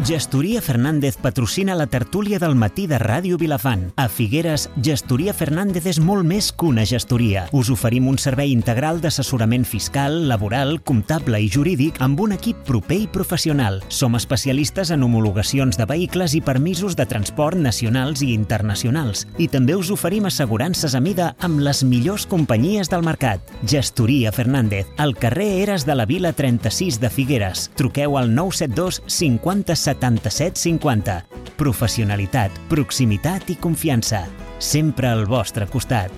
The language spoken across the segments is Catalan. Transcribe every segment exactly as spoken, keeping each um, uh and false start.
Gestoria Fernández patrocina la tertúlia del matí de Ràdio Vilafant. A Figueres, Gestoria Fernández és molt més que una gestoria. Us oferim un servei integral d'assessorament fiscal, laboral, comptable i jurídic amb un equip proper i professional. Som especialistes en homologacions de vehicles i permisos de transport nacionals i internacionals. I també us oferim assegurances a mida amb les millors companyies del mercat. Gestoria Fernández, al carrer Eres de la Vila trenta-sis de Figueres. Truqueu al nou set dos cinquanta setanta-set cinquanta. Professionalitat, proximitat i confiança. Sempre al vostre costat.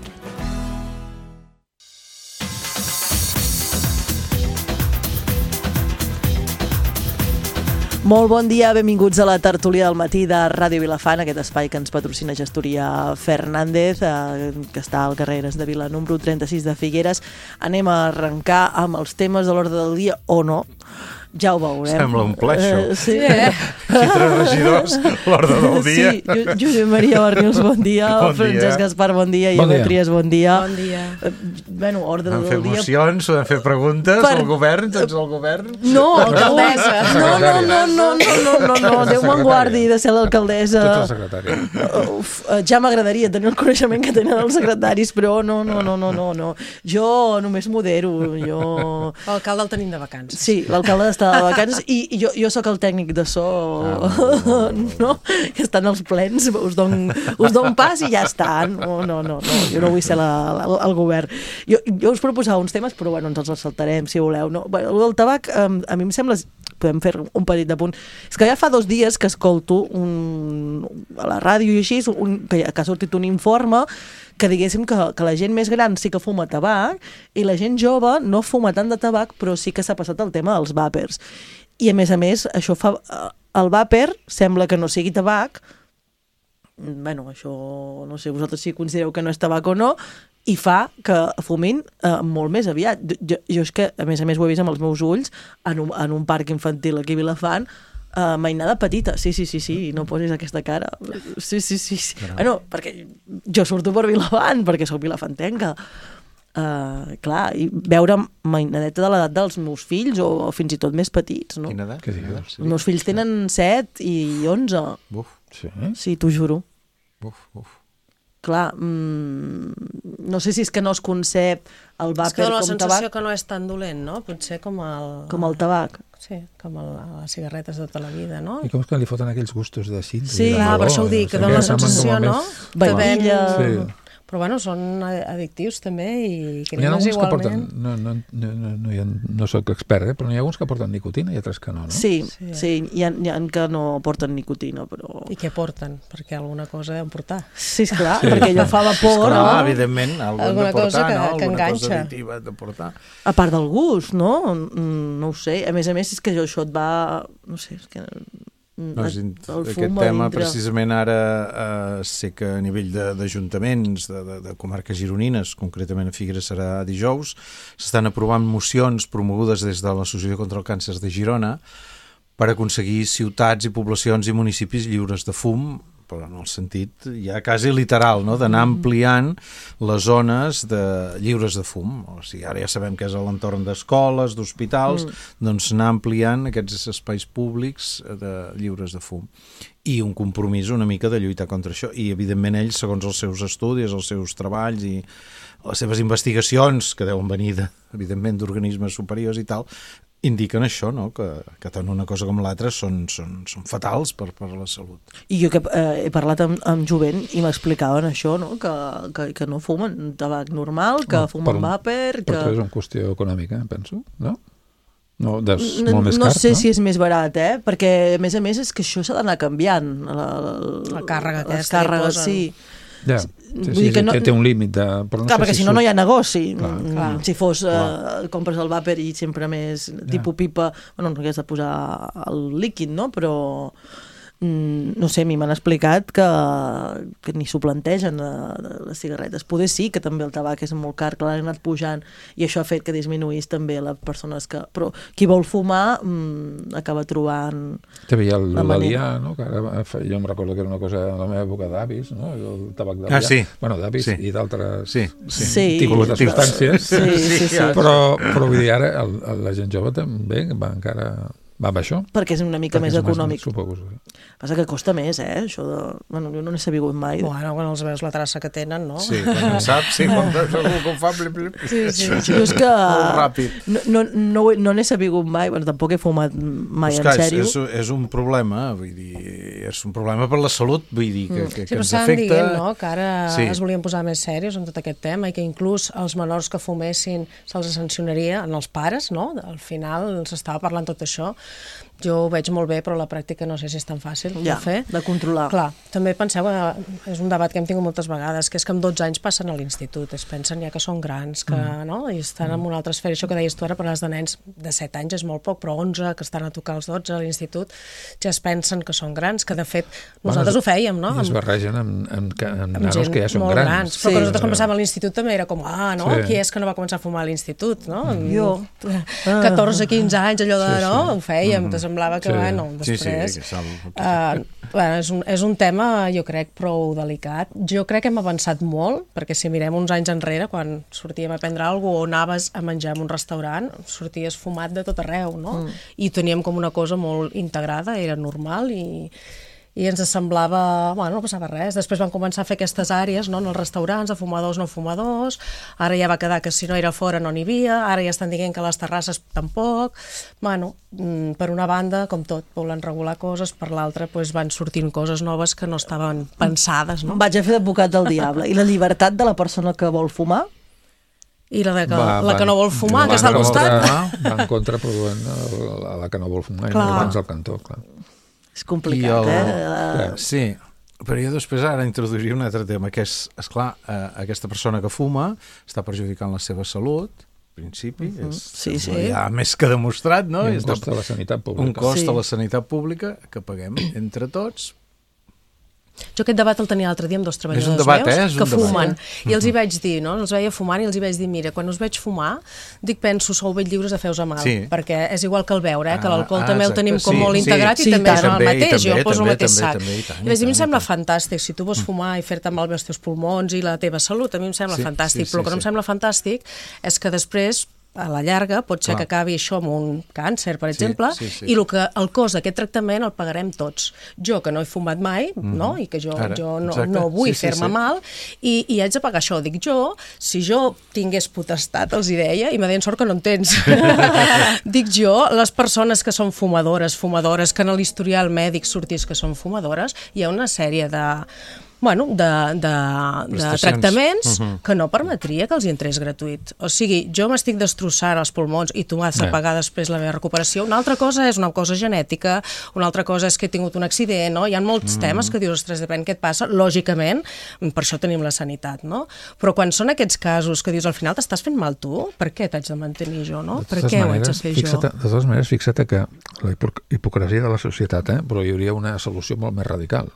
Molt bon dia, benvinguts a la tertúlia del matí de Ràdio Vilafant, aquest espai que ens patrocina Gestoria Fernández, eh, que està al carrer Eres de Vila número trenta-sis de Figueres. Anem a arrencar amb els temes de l'ordre del dia o no. Ja ho veurem. Sembla un ple, això. Uh, sí. Eh? Aquí tres regidors, l'ordre del dia. Sí, Josep Maria Barrios, bon dia. Bon Francesc dia. Gaspar, bon dia. Bon I dia. Trias, bon dia. Bon dia. Uh, bueno, ordre Vam del fer dia... mocions, vam fer preguntes Per- al govern, tots al govern. No, Alcaldessa. No, no, no, no, no, no, no, no. Déu me'n guardi de ser l'alcaldessa. Tot el secretari. Uf, uh, ja m'agradaria tenir el coneixement que tenen els secretaris, però no, no, no, no, no, no. Jo només modero, jo... L'alcalde el tenim de vacances. Sí, l'alcalde està de vacances i, i jo, jo sóc el tècnic de so, ah, no? Que estan els plens, us don, us don pas i ja està. No, no, no, no, jo no vull ser la, la, el govern. Jo, jo us proposava uns temes, però bueno, ens els saltarem, si voleu. No? Bueno, el del tabac, um, a mi em sembla... Podem fer un petit apunt. És que ja fa dos dies que escolto un, a la ràdio i així, un, que, que ha sortit un informe que diguéssim que, que la gent més gran sí que fuma tabac i la gent jove no fuma tant de tabac, però sí que s'ha passat el tema dels vàpers. I a més a més, això fa... El vàper sembla que no sigui tabac, bueno, això no sé, vosaltres si considereu que no és tabac o no, i fa que fumin eh, molt més aviat. Jo, jo és que, a més a més, ho he vist amb els meus ulls en un, en un parc infantil aquí a Vilafant, uh, mainada petita, sí, sí, sí, sí, no posis aquesta cara. Sí, sí, sí, sí. Bueno, perquè jo surto per Vilafant, perquè sóc vilafantenca. Uh, clar, i veure mainadeta de l'edat dels meus fills o, o fins i tot més petits, no? Quina edat? Què digues? Els meus fills tenen set i onze. Buf, Sí? Sí, t'ho juro. buf, buf. Clar, mmm, no sé si és que no es concep el És que vàper dona la com sensació tabac, que no és tan dolent, no? Potser com el... com el tabac. Sí, com el, les cigarretes de tota la vida, no? I com és que li foten aquells gustos de cinta? Sí, i de Clar, meló, per això ho dic, que no sé dona la què, semblen sensació, com a no? més- Que ven- Vainilla... Sí. Però bueno, són addictius també i N'hi ha cremes alguns que igualment. porten, no, no, no, no, no, hi ha, no soc expert, eh, però n'hi ha alguns que porten nicotina i altres que no, no? Sí, Sí. sí, hi ha, hi ha que no porten nicotina, però... I què porten? Perquè alguna cosa deuen portar. Sí, esclar, sí. Perquè allò fa vapor, Clar, no? evidentment, alguna Alguna de portar, cosa que- no? que Alguna enganxa. cosa additiva de portar. A part del gust, no? Mm, No ho sé. A més a més, és que això et va... No sé, és que... No, és, el aquest fum a tema, dintre. precisament ara, eh, sé que a nivell de- d'ajuntaments, de, de, de comarques gironines, concretament a Figueres serà dijous, s'estan aprovant mocions promogudes des de l'Associació contra el Càncer de Girona per aconseguir ciutats i poblacions i municipis lliures de fum, però en el sentit ja quasi literal, no? D'anar ampliant les zones de, lliures de fum. O sigui, ara ja sabem que és a l'entorn d'escoles, d'hospitals, mm. doncs anar ampliant aquests espais públics de, lliures de fum. I un compromís una mica de lluitar contra això. I, evidentment, ells, segons els seus estudis, els seus treballs i les seves investigacions, que deuen venir, de, evidentment, d'organismes superiors i tal, indiquen això, no? que, que tant una cosa com l'altra són, són, són fatals per, per la salut. I jo que eh, he parlat amb, amb jovent i m'explicaven això, no? Que, que, que no fumen tabac normal, que No, fumen per- vàper... Per Que... això és una qüestió econòmica, penso, no? No, és No, molt més no car, sé no? si és més barat, eh? Perquè, a més a més, és que això s'ha d'anar canviant. La, la, La càrrega les aquesta que càrregues, posen. sí. Ja, sí, Vull sí, dir sí, que no- té, té un límit de... Però no Clar, sé perquè si si no, no hi surt- ha negoci. Clar, Mm, clar. Si fos, Clar. eh, compres el vàper i sempre més tipus pipa, bueno, no hagués de posar el líquid, no? Però, mm, no sé, a mi m'han explicat que, que ni s'ho plantegen eh, les cigarretes. Poder sí, que també el tabac és molt car, que l'han anat pujant, i això ha fet que disminuís també les persones que... Però qui vol fumar mm, acaba trobant... També hi ha el- la l'alià, no? Que ara, fa- jo em recordo que era una cosa de la meva època d'avis, no? El tabac d'alià. Ah, sí. Bueno, d'avis Sí. i d'altres Sí, sí. Sí. tipus de substàncies. Sí, sí, sí. ja. Però, però vull dir, ara el, el, la gent jove també va encara Va amb això? Perquè és una mica Perquè més és econòmic. Suposo. Passa que costa més, eh, això de... Bueno, jo no n'he sabut mai. Bueno, quan els veus la traça que tenen, no? Sí, quan en saps, sí, quan veus algú que ho fa... Blip, blip. Sí, sí. Jo és que... Molt ràpid. No, no, no, no n'he sabut mai, bueno, tampoc he fumat mai, en Clar, sèrio. és, és un problema, vull dir, és un problema per la salut, vull dir, que, que, Sí, que però ens estàvem afecta... dient, no?, que ara Sí. es volien posar més serios en tot aquest tema i que inclús els menors que fumessin se'ls sancionaria en els pares, no? Al final s'estava parlant tot això. Jo ho veig molt bé, però a la pràctica no sé si és tan fàcil Ja, de fer. de controlar. Clar, també penseu, eh, és un debat que hem tingut moltes vegades, que és que amb dotze anys passen a l'institut, es pensen ja que són grans, que, mm. no? I estan en una altra esfera. Això que deies tu ara, per als de nens de set anys és molt poc, però onze, que estan a tocar els dotze a l'institut, ja es pensen que són grans, que de fet nosaltres Bueno, ho fèiem, no? I es Amb, barregen amb, amb, amb, amb amb nanos gent que ja són molt grans. grans. Però Sí. que nosaltres quan passàvem a l'institut també era com, ah, no? Sí. Qui és que no va començar a fumar a l'institut, no? Jo. catorze quinze anys, allò de, Sí, sí. no? Ho fèiem, te semblava que, Sí. bueno, Sí, sí, després... que sal... Uh, bueno, és, un, és un tema, jo crec, prou delicat. Jo crec que hem avançat molt, perquè si mirem uns anys enrere, quan sortíem a prendre alguna cosa o anaves a menjar en un restaurant, sorties fumat de tot arreu, no? Mm. I teníem com una cosa molt integrada, era normal i... i ens semblava, bueno, no passava res. Després van començar a fer aquestes àrees, no?, en els restaurants, de fumadors, no fumadors, ara ja va quedar que si no era fora no n'hi havia, ara ja estan dient que a les terrasses tampoc. Bueno, per una banda, com tot, volen regular coses, per l'altra pues, van sortint coses noves que no estaven pensades, no? Vaig a fer d'advocat del diable. I la llibertat de la persona que vol fumar? I la, de que, Va, la que no vol fumar, va que està al en costat. contra- Va en contra produint a la que no vol fumar, i Clar. no abans al cantó, clar. És complicat, I el- eh? Sí, però jo després ara introduiria un altre tema, que és, esclar, eh, aquesta persona que fuma està perjudicant la seva salut, en principi, uh -huh. és, Sí, sí. ja més que demostrat, no? I un I està- cost a la sanitat pública. un cost Sí. a la sanitat pública que paguem entre tots. Jo aquest debat el tenia l'altre dia amb dos treballadors És un debat, meus eh? És un que debat. fumen. I els hi vaig dir, no? Els veia fumant i els hi vaig dir, mira, quan us veig fumar, dic, penso, sou ben lliures de fer-vos a mal, Sí. perquè és igual que el beure, eh? Que Ah, l'alcohol ah, també el exacte. tenim com Sí, molt sí. integrat Sí, i també i és tant. el També, i mateix, jo també, poso el també, mateix també, sac. també, i tant, i I vaig dir, a mi em tant, sembla i tant. fantàstic, si tu vols fumar i fer-te mal bé els teus pulmons i la teva salut, a mi em sembla Sí, fantàstic, sí, però el sí, que no em sí. sembla fantàstic és que després a la llarga pot ser Clar. que acabi això amb un càncer, per Sí, exemple, sí, sí. i el, que, el cost d'aquest tractament el pagarem tots. Jo, que no he fumat mai, Mhm. no? I que jo, Ara, jo no, exacte. no vull Sí, sí, fer-me sí. mal, i, i haig de pagar això. Dic jo, si jo tingués potestat, els hi deia, i me deien sort que no en tens. Dic jo, les persones que són fumadores, fumadores, que en l'historial mèdic sortís que són fumadores, hi ha una sèrie de... bueno, de, de, de Prestacions. tractaments Uh-huh. que no permetria que els hi entrés gratuït. O sigui, jo m'estic destrossant els pulmons i tu m'has de Eh. pagar després la meva recuperació. Una altra cosa és una cosa genètica, una altra cosa és que he tingut un accident, no? Hi ha molts mm. temes que dius, ostres, depèn què et passa. Lògicament, per això tenim la sanitat, no? Però quan són aquests casos que dius, al final t'estàs fent mal tu, per què t'haig de mantenir jo, no? De Per totes què ho haig de maneres, fer fixa't, jo? De totes maneres, fixa't que la hipo- hipocresia de la societat, eh? Però hi hauria una solució molt més radical,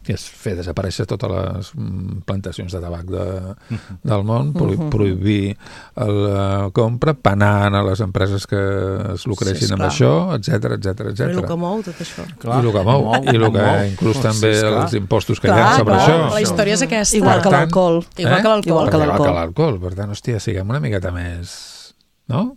que és fer desaparèixer totes les mm, plantacions de tabac de, del món, pro prohibir la compra, penant a les empreses que es lucressin Sí, amb esclar. això, etcètera, etcètera, Però el que etcètera. mou tot això. Clar, I el que mou, mou, i el que mou. inclús Sí, també esclar. els impostos que hi ha Clar, sobre clar, això. la història és aquesta. Igual Per que tant, l'alcohol. Igual eh? que l'alcohol. Igual que Igual l'alcohol. que l'alcohol. Per tant, hòstia, siguem una miqueta més... No?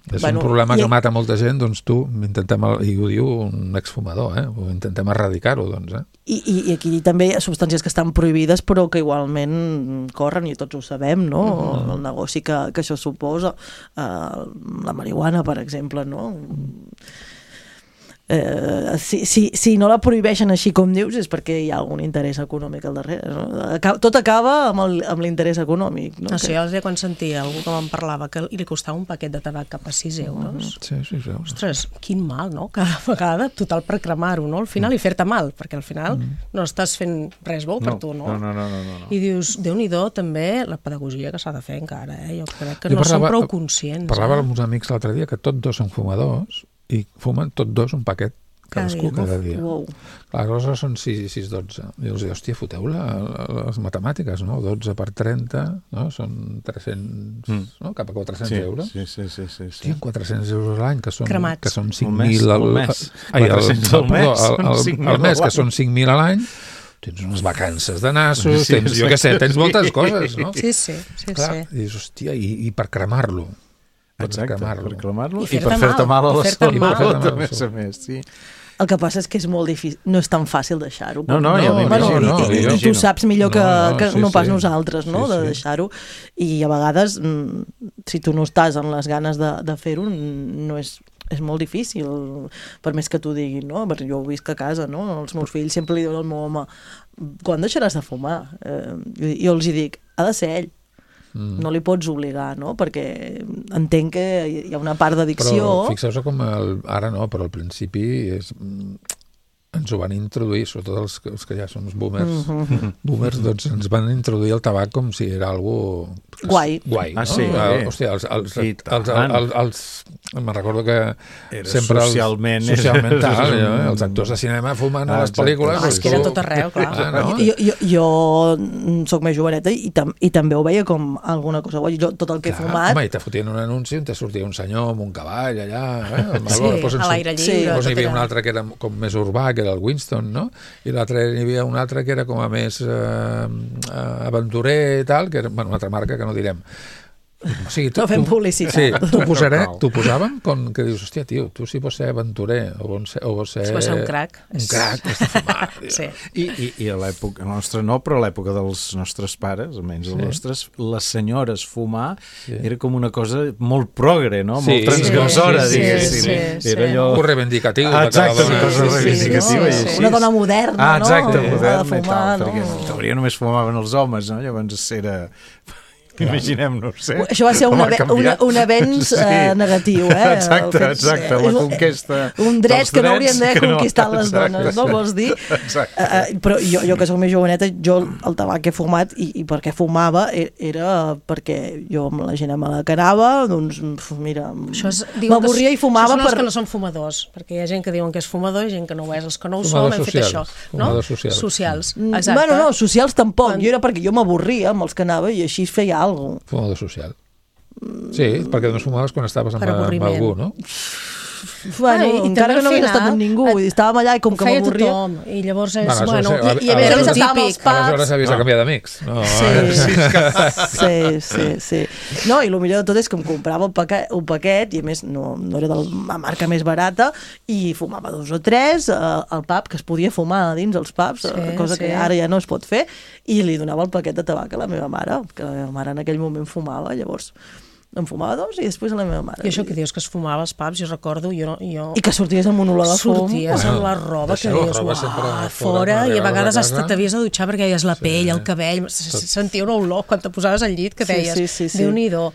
És Bueno, un problema i- que mata molta gent, doncs tu, intentem, i ho diu un exfumador, eh? Ho intentem erradicar-ho, doncs, eh? I, i, I aquí també hi ha substàncies que estan prohibides però que igualment corren i tots ho sabem, no? Mm-hmm. El negoci que, que això suposa. Uh, la marihuana, per exemple, no? Eh, si, si, si no la prohibeixen així com dius és perquè hi ha algun interès econòmic al darrere, no? Acaba, tot acaba amb el- amb l'interès econòmic, no? No sé, l'altre dia quan sentia algú que me'n parlava que li costava un paquet de tabac cap a sis euros. Sí, sí, sí. Ostres, quin mal, no? Cada vegada, total per cremar-ho, no? Al final, i fer-te mal, perquè al final no estàs fent res bo per tu, no? No, no, no, no, no, no. I dius, Déu-n'hi-do, també, la pedagogia que s'ha de fer encara, eh? Jo crec que Jo no parlava- som prou conscients. Parlava eh? amb uns amics l'altre dia que tots dos són fumadors i fumen tots dos un paquet Cada cadascú dia. cada dia. Uau. Clar, aleshores són sis i sis, dotze. I els dic, hòstia, foteu la, les matemàtiques, no? dotze per trenta, no? Són tres-cents, Mm. no? Cap a quatre-cents Sí, euros. sí, sí, sí, sí, sí. Hòstia, quatre-cents euros a l'any, que són, Cremats. que són Un cinc mes, mil al un mes. Ai, el, quatre-cents el, al mes, perdó, són el, cinc el, mil el mes, a que l'any. són cinc mil a l'any, tens unes vacances de nassos, Sí, tens, jo què sé, tens moltes coses, no? Sí, sí, sí, Clar, sí. i dius, hòstia, i, i per cremar-lo. pots Exacte, cremar-lo. per cremar-lo I i, fer-te per fer-te mal, mal a i la fer-te salut, mal. a més a més, sí. El que passa és que és molt difícil, no és tan fàcil deixar-ho. No, no, ja m'imagino. Bueno, no, i, i, m'imagino. tu saps millor que No, no, no, que sí, no pas sí. nosaltres, no?, Sí, de sí. deixar-ho. I a vegades, mm, si tu no estàs en les ganes de, de fer-ho, no és, és molt difícil, per més que t'ho diguin, no? Perquè jo ho visc a casa, no? Els meus fills sempre li diuen al meu home, quan deixaràs de fumar? Eh, jo, jo els hi dic, ha de ser ell. Mm. No li pots obligar, no? Perquè entenc que hi ha una part d'addicció. Però fixeu-vos com el, ara no, però al principi és, ens ho van introduir, sobretot els, els que ja som boomers, mm-hmm. boomers, doncs ens van introduir el tabac com si era algo guai. guai, no? Ah, sí? El, hòstia, els, els, els, els, els, els, me'n recordo que era sempre socialment, els, socialment era, tal, era, eh? Els actors de cinema fumant ah, a les pel·lícules. Ah, és que era tot arreu, clar. Ah, no? Jo, jo, jo soc més joveneta i, tam i també ho veia com alguna cosa guai. Jo, tot el que he Clar, fumat... home, i te fotien un anunci on te sortia un senyor amb un cavall allà, eh? Sí, Llavors, a l'aire Sí. lliure. Llavors hi tot havia era- un altre que era com més urbà, que era el Winston, no? I l'altre hi havia un altre que era com a més eh, aventurer i tal, que era bueno, una altra marca que no direm. O sigui, No fem publicitat. Sí, t'ho posaré, t'ho posàvem com que dius, hòstia, tio, tu si vols ser aventurer o vols ser... O vols ser, Si vols ser un crac. Un crac, has de fumar. Tio. Sí. I, i, i a l'època nostra no, però a l'època dels nostres pares, almenys els Sí. nostres, les senyores fumar Sí. era com una cosa molt progre, no? Sí, Molt transgressora, sí, sí, diguéssim. sí, sí. Era allò... Un reivindicatiu. Ah, de cada exacte, dona. una cosa Sí, sí, reivindicativa sí, i sí. així. Una dona moderna, Ah, exacte, no? moderna Ha de i fumar, tal, perquè no? en teoria només fumaven els homes, no? Llavors era... Imaginem, no ho sé. Això va ser un, com ha ave una, canviat. un avenç Sí. eh, negatiu, eh? Exacte, El fet- exacte, és la un- conquesta un dret dels que no drets haurien d'haver que no- conquistat les exacte. dones, no vols dir? Exacte. Uh, uh, però jo, jo que soc més joveneta, jo el tabac que he fumat i, i per què fumava e- era perquè jo amb la gent amb la que anava, doncs uf, mira, Això és- diuen que m'avorria i Això fumava són els per... que no són fumadors, perquè hi ha gent que diuen que és fumador i gent que no ho és. Els que no ho Fumadors són hem fet això. socials, No? fumadors socials. Socials, Mm, exacte. Bueno, no, socials tampoc, Quan- jo era perquè jo m'avorria amb els que anava i així feia alguna cosa. Fumador social. Sí, perquè no fumaves quan estaves amb, Per amb avorriment. algú, no? Bueno, Ah, i també encara que al no hagués final estat amb ningú, vull dir, estàvem allà i com Ho que feia m'avorria... tothom, i llavors és, Bueno, bueno, això sí, i, i a a- més a- és el estàvem als típic. pubs. Aleshores havies de canviar d'amics. No, Sí, sí, sí, sí. No, i el millor de tot és que em comprava un paquet, un paquet i a més no, no era de la marca més barata i fumava dos o tres eh, al pub, que es podia fumar dins els pubs, Sí, eh, cosa sí. que ara ja no es pot fer, i li donava el paquet de tabac a la meva mare, que la meva mare en aquell moment fumava, llavors en fumava dos i després a la meva mare. I això que dius que es fumava als pubs, jo recordo, jo, jo I que sorties amb un olor de fum. sorties Bueno, amb la roba que deixar la dius, roba uah, sempre fora, fora, quan i a arribaves vegades a hasta casa. t'havies de dutxar perquè deies la pell, el cabell, se- se sentia una olor quan te posaves al llit que Sí, deies, sí, sí, sí. Déu-n'hi-do.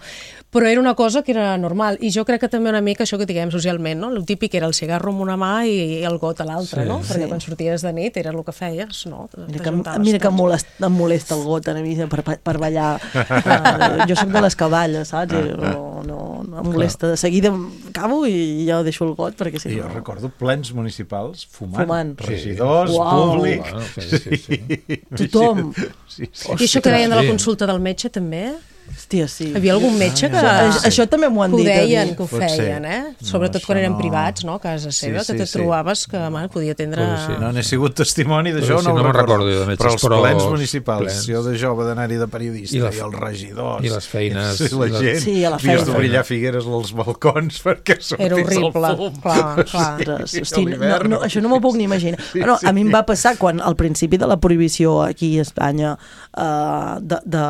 Però era una cosa que era normal, i jo crec que també una mica això que diguem socialment, no? El típic era el cigarro amb una mà i el got a l'altra, Sí, no? Perquè sí. quan sorties de nit era el que feies, no? Mira que, mira que em molesta, em molesta el got a mi per, per ballar. Uh, jo soc de les cavalles, saps? I no, no, no em molesta. De seguida acabo i ja deixo el got perquè si I no... jo recordo plens municipals fumant. Fumant. Regidors, Uau. públic... Bueno, sí, sí, sí. Tothom. Sí, sí. I això que deien de la Sí. consulta del metge també? Hòstia, sí. Hi havia algun metge que... Això, això també m'ho han que ho dit a deien, mi. que ho Pot feien, ser. eh? No, Sobretot això quan eren no. privats, no? A casa Sí, seva, sí, que te sí. trobaves que, man, podia tindre... Sí. No n'he sigut testimoni d'això, Però sí, no, no ho me'n recordo de metges, però els però plens els municipals, plens. jo de jove d'anar-hi de periodista, I i, la- els regidors... i les feines, I la i les- gent, Sí, a la havies feina. d'obrillar figueres als balcons perquè sortís Era horrible, el fum. clar, clar. Ostres, Sí, hosti, a no, l'hivern. no, això no m'ho puc ni imaginar. Sí, Bueno, sí. a mi em va passar quan al principi de la prohibició aquí a Espanya eh, de, de,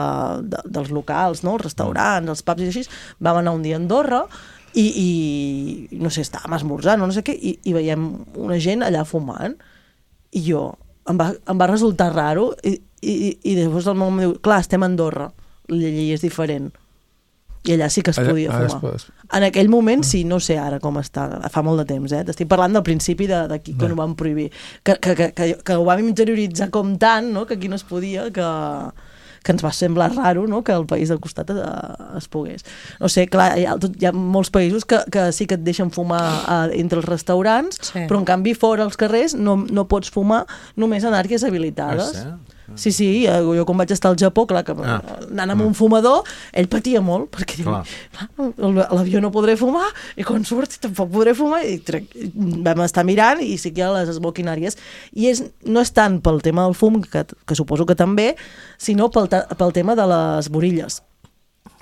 de, dels locals, no? Els restaurants, els pubs i així, vam anar un dia a Andorra i, i no sé, estàvem esmorzant o no sé què, i, i veiem una gent allà fumant i jo, em va, em va resultar raro i, i, i llavors el meu home diu, clar, estem a Andorra, la llei és diferent. I allà sí que es Allà- podia ara fumar. es pot- En aquell moment sí, no sé ara com està, fa molt de temps, eh? T'estic parlant del principi de- d'aquí quan ho van prohibir, que, que, que, que, que ho vam interioritzar com tant, no? Que aquí no es podia, que, que ens va semblar raro, no? Que el país del costat es, es pogués. No sé, clar, hi ha, tot, hi ha molts països que, que sí que et deixen fumar eh, entre els restaurants, Sí. però en canvi fora als carrers no, no pots fumar només en àrees habilitades. Ah, sí? Sí, sí, eh, jo quan vaig estar al Japó, clar, que Ah. anant amb un fumador, ell patia molt, perquè diu, Clar. "Clar, a l'avió no podré fumar, i quan surti tampoc podré fumar, i trec, vam estar mirant, i sí que hi ha les smoking-àries, i és, no és tant pel tema del fum, que, que suposo que també, sinó pel, ta- pel tema de les borilles.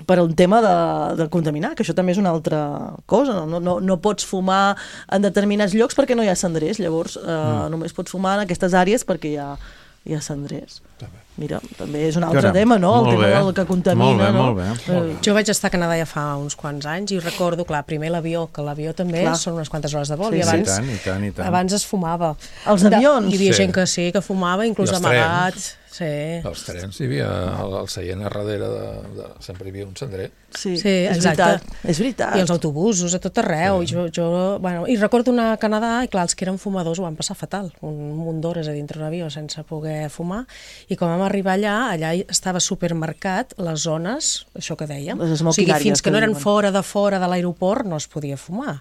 per un tema de, de contaminar, que això també és una altra cosa. No, no, no pots fumar en determinats llocs perquè no hi ha cendrers, llavors eh, mm. només pots fumar en aquestes àrees perquè hi ha, hi ha cendrers. Mira, també és un altre Caram, tema, no? El tema bé. del que contamina, molt bé, no? Molt bé, molt bé. Jo vaig estar a Canadà ja fa uns quants anys i recordo, clar, primer l'avió, que l'avió també Clar. són unes quantes hores de vol, Sí, i sí. abans, I tant, i tant, i tant. abans es fumava. Els avions? Hi havia Sí. gent que sí, que fumava, inclús I els amagat. Sí. Als trens hi havia el, el seient a darrere de, de, sempre hi havia un cendrer. Sí, Sí, és exacte. veritat. És veritat. I els autobusos, a tot arreu. Sí. I, jo, jo, bueno, I recordo anar a Canadà i, clar, els que eren fumadors ho van passar fatal. Un munt d'hores a dintre d'un avió sense poder fumar. I quan vam arribar allà, allà estava supermercat les zones, això que dèiem. Les O sigui, smoking fins areas, que no que eren diuen. fora de fora de l'aeroport no es podia fumar.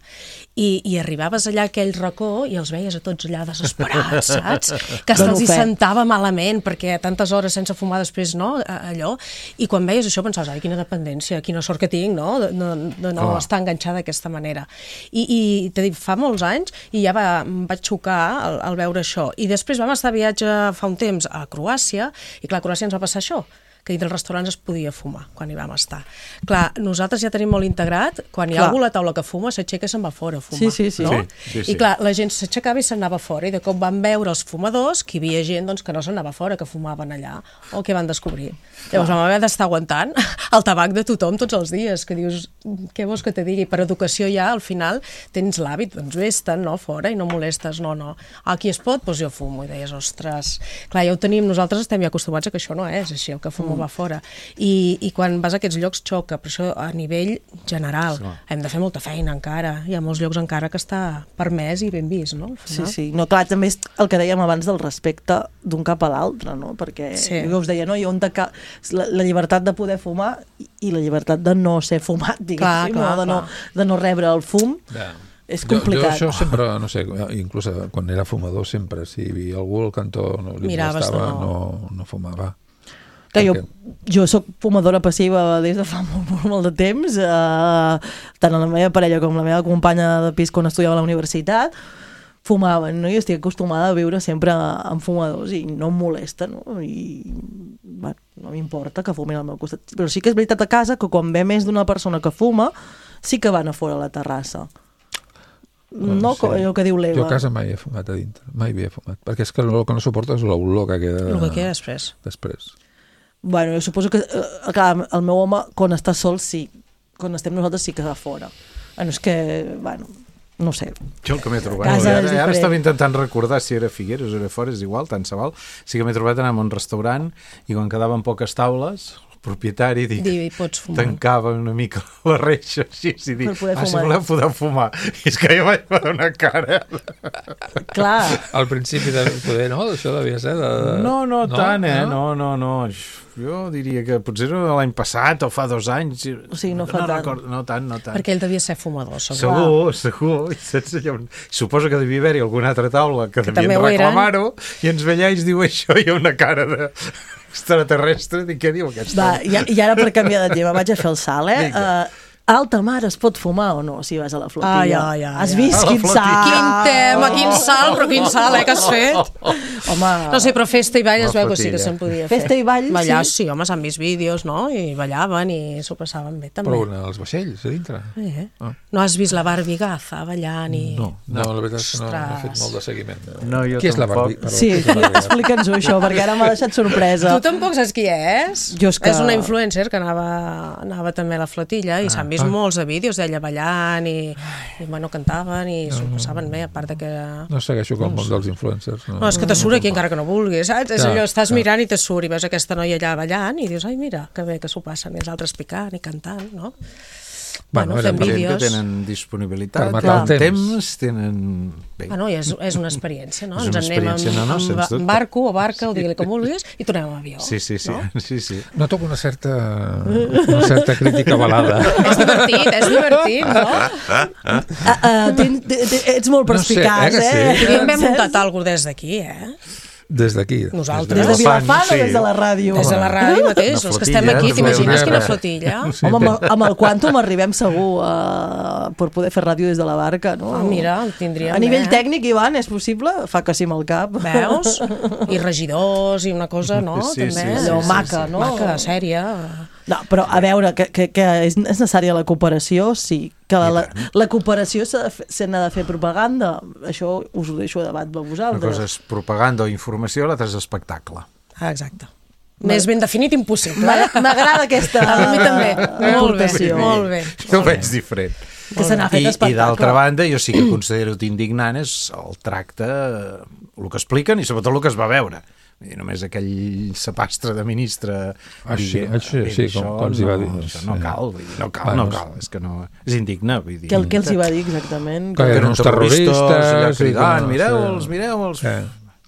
I, i arribaves allà a aquell racó i els veies a tots allà desesperats, saps? Que hasta Dono els hi fe. sentava malament perquè tantes hores sense fumar després, no? Allò. I quan veies això pensaves, ai, quina dependència, quina sort que tinc, no? De, de, de no Oh. estar enganxada d'aquesta manera. I, i t'he dit, fa molts anys, i ja va, em vaig xocar al, al veure això. I després vam estar a viatge fa un temps a Croàcia, i clar, a Croàcia ens va passar això, que dintre dels restaurants es podia fumar quan hi vam estar. Clar, nosaltres ja tenim molt integrat, quan hi ha Clar. algú a la taula que fuma, s'aixeca i se'n va fora a fumar. Sí, sí, sí. No? Sí, sí, sí. I clar, la gent s'aixecava i se'n anava fora, i de cop van veure els fumadors que hi havia gent doncs, que no se'n anava fora, que fumaven allà, o que van descobrir. Llavors vam haver d'estar aguantant el tabac de tothom tots els dies, que dius, què vols que te digui? Per educació ja, al final, tens l'hàbit, doncs vés-te'n, no, fora, i no molestes, no, no. Aquí es pot? Doncs jo fumo, i deies, ostres... Clar, ja ho tenim, nosaltres estem ja acostumats a que això no és així, el que fumo mm. va fora. I, I quan vas a aquests llocs xoca, per això a nivell general Sí. hem de fer molta feina encara, hi ha molts llocs encara que està permès i ben vist, no? Al Sí, final. sí. No, clar, també és el que dèiem abans del respecte d'un cap a l'altre, no? Perquè Sí. jo us deia, no? I on de ca... la, la llibertat de poder fumar i, i la llibertat de no ser fumat, diguéssim, Clar, clar, no? De, no, clar. de no rebre el fum. Ja. És Jo, jo complicat. això sempre, no sé, inclús quan era fumador sempre, si hi havia algú al cantó no li Miraves de molestava, no. no, no fumava. Que jo, Perquè- jo sóc fumadora passiva des de fa molt, molt, molt de temps, eh, tant la meva parella com la meva companya de pis quan estudiava a la universitat fumaven, no? I estic acostumada a viure sempre amb fumadors i no em molesta, no? I bueno, no m'importa que fumin al meu costat. Però sí que és veritat a casa que quan ve més d'una persona que fuma, sí que van a fora a la terrassa. No, Sí. allò que diu l'Eva. Jo a casa mai he fumat a dintre, mai havia fumat, perquè és que el que no suporto és l'olor que queda El que queda després. després. Bueno, jo suposo que, eh, clar, el meu home, quan està sol, sí. Quan estem nosaltres sí que va fora. Bueno, és que, bueno, no sé. Jo el que m'he trobat, Casa i ara, és ara diferent. estava intentant recordar si era Figueres o era fora, és igual, tant se val. Sí que m'he trobat anar a un restaurant i quan quedaven poques taules, el propietari dic, Dir, pots fumar. tancava una mica la reixa així i dic, Per poder ah, si fumar. voleu podeu fumar. I és que jo vaig fer una cara. Clar, Al principi de poder, no? Això devia ser de... de... No, no, tant, eh? No, no, no. Jo diria que potser era l'any passat o fa dos anys. O sigui, no fa no tant. Recordo, no tant, no tant. Perquè ell devia ser fumador, segur. Segur, segur. I saps allò? Suposo que devia haver-hi alguna altra taula que, Que devien també ho eren. reclamar-ho i ens veia i ens diu això i una cara de extraterrestre. Dic, què diu aquest va, home? i, i ara per canviar de tema vaig a fer el salt, eh? Vinga. Uh, alta mar es pot fumar o no si vas a la flotilla? Ai, ai, ai, Has ai. vist A la quin flotilla. salt? Quin tema, quin salt, però quin salt, eh, que has fet? Home, No sé, però festa i ball es La veu que sí que flotilla. se'n podia fer. Festa i ball, Ballar, sí. sí, home, s'han vist vídeos, no? I ballaven i s'ho passaven bé, també. Però on, als vaixells, a dintre? Eh? Ah. No has vist la Barbie Gaza ballant i... No, no, la veritat és que no, no he fet Ostres. molt de seguiment. No, jo Qui és la tampoc. Barbie? Perdó, sí, qui és la Barbie? explica'ns-ho això, perquè ara m'ha deixat sorpresa. Tu tampoc saps qui és? Jo és que- És una influencer que anava, anava també a la flotilla i s'han vist ah. molts de vídeos d'ella ballant i, i bueno, cantaven i s'ho passaven bé, a part de que... No segueixo com el món dels influencers. No, No, és que te surt aquí encara que no vulguis, saps? És Ja, allò, estàs ja. mirant i te surt i veus aquesta noia allà ballant i dius, ai, mira, que bé que s'ho passen, i els altres picant i cantant, no? Bueno, Bueno, era fem per- Gent vídeos. que tenen disponibilitat, Per matar el tenen temps. temps, tenen... Bé, Bueno, i és, és una experiència, no? És Ens una en anem amb, experiència, no, no, amb, sens dubte. amb barco o barca, o digue-li com vulguis, i tornem amb avió. sí, sí, sí, No? sí, sí. Noto una certa, una certa crítica balada. És divertit, és divertit, no? Ah, ah, ten, te, te, ets molt No sé, perspicaç, eh, que sí? eh? Podríem haver Saps? muntat alguna cosa des d'aquí, eh? Des d'aquí. Nosaltres. Des de Vilafant, Vilafant o sí. des de la ràdio? Des de la ràdio mateix, Una els que estem flotilla, aquí, una t'imagines flotilla. quina flotilla? Sí, Home, amb el, amb el Quantum arribem segur uh, per poder fer ràdio des de la barca, no? Ah, mira, el tindríem, A nivell eh? tècnic, Ivan, és possible? Fa que sí amb el cap. Veus? I regidors i una cosa, no? Sí, També. sí, sí, Allò sí, maca, sí. no? Maca, sèria. No, però a veure, que, que, que és necessària la cooperació, sí. Que la, la cooperació s'ha de, se n'ha de fer propaganda. Això us ho deixo a debat de vosaltres. Una cosa és propaganda o informació, l'altra és espectacle. Ah, exacte. Més ben definit impossible. Eh? M'agrada aquesta a mi també. Molt bé, aportació. molt bé. Jo ho veig diferent. Que se n'ha fet I, espectacle. I d'altra banda, jo sí que considero indignant és el tracte, el que expliquen i sobretot el que es va veure. I només aquell sapastre de ministre Així, així, sí, com, com els hi va dir. Això no cal, vull dir, no cal, no cal, és que no, és indigne, vull dir. Què, què els hi va dir exactament? Que eren uns terroristes, allà cridant, sí, mireu-los, sí. mireu-los. Eh,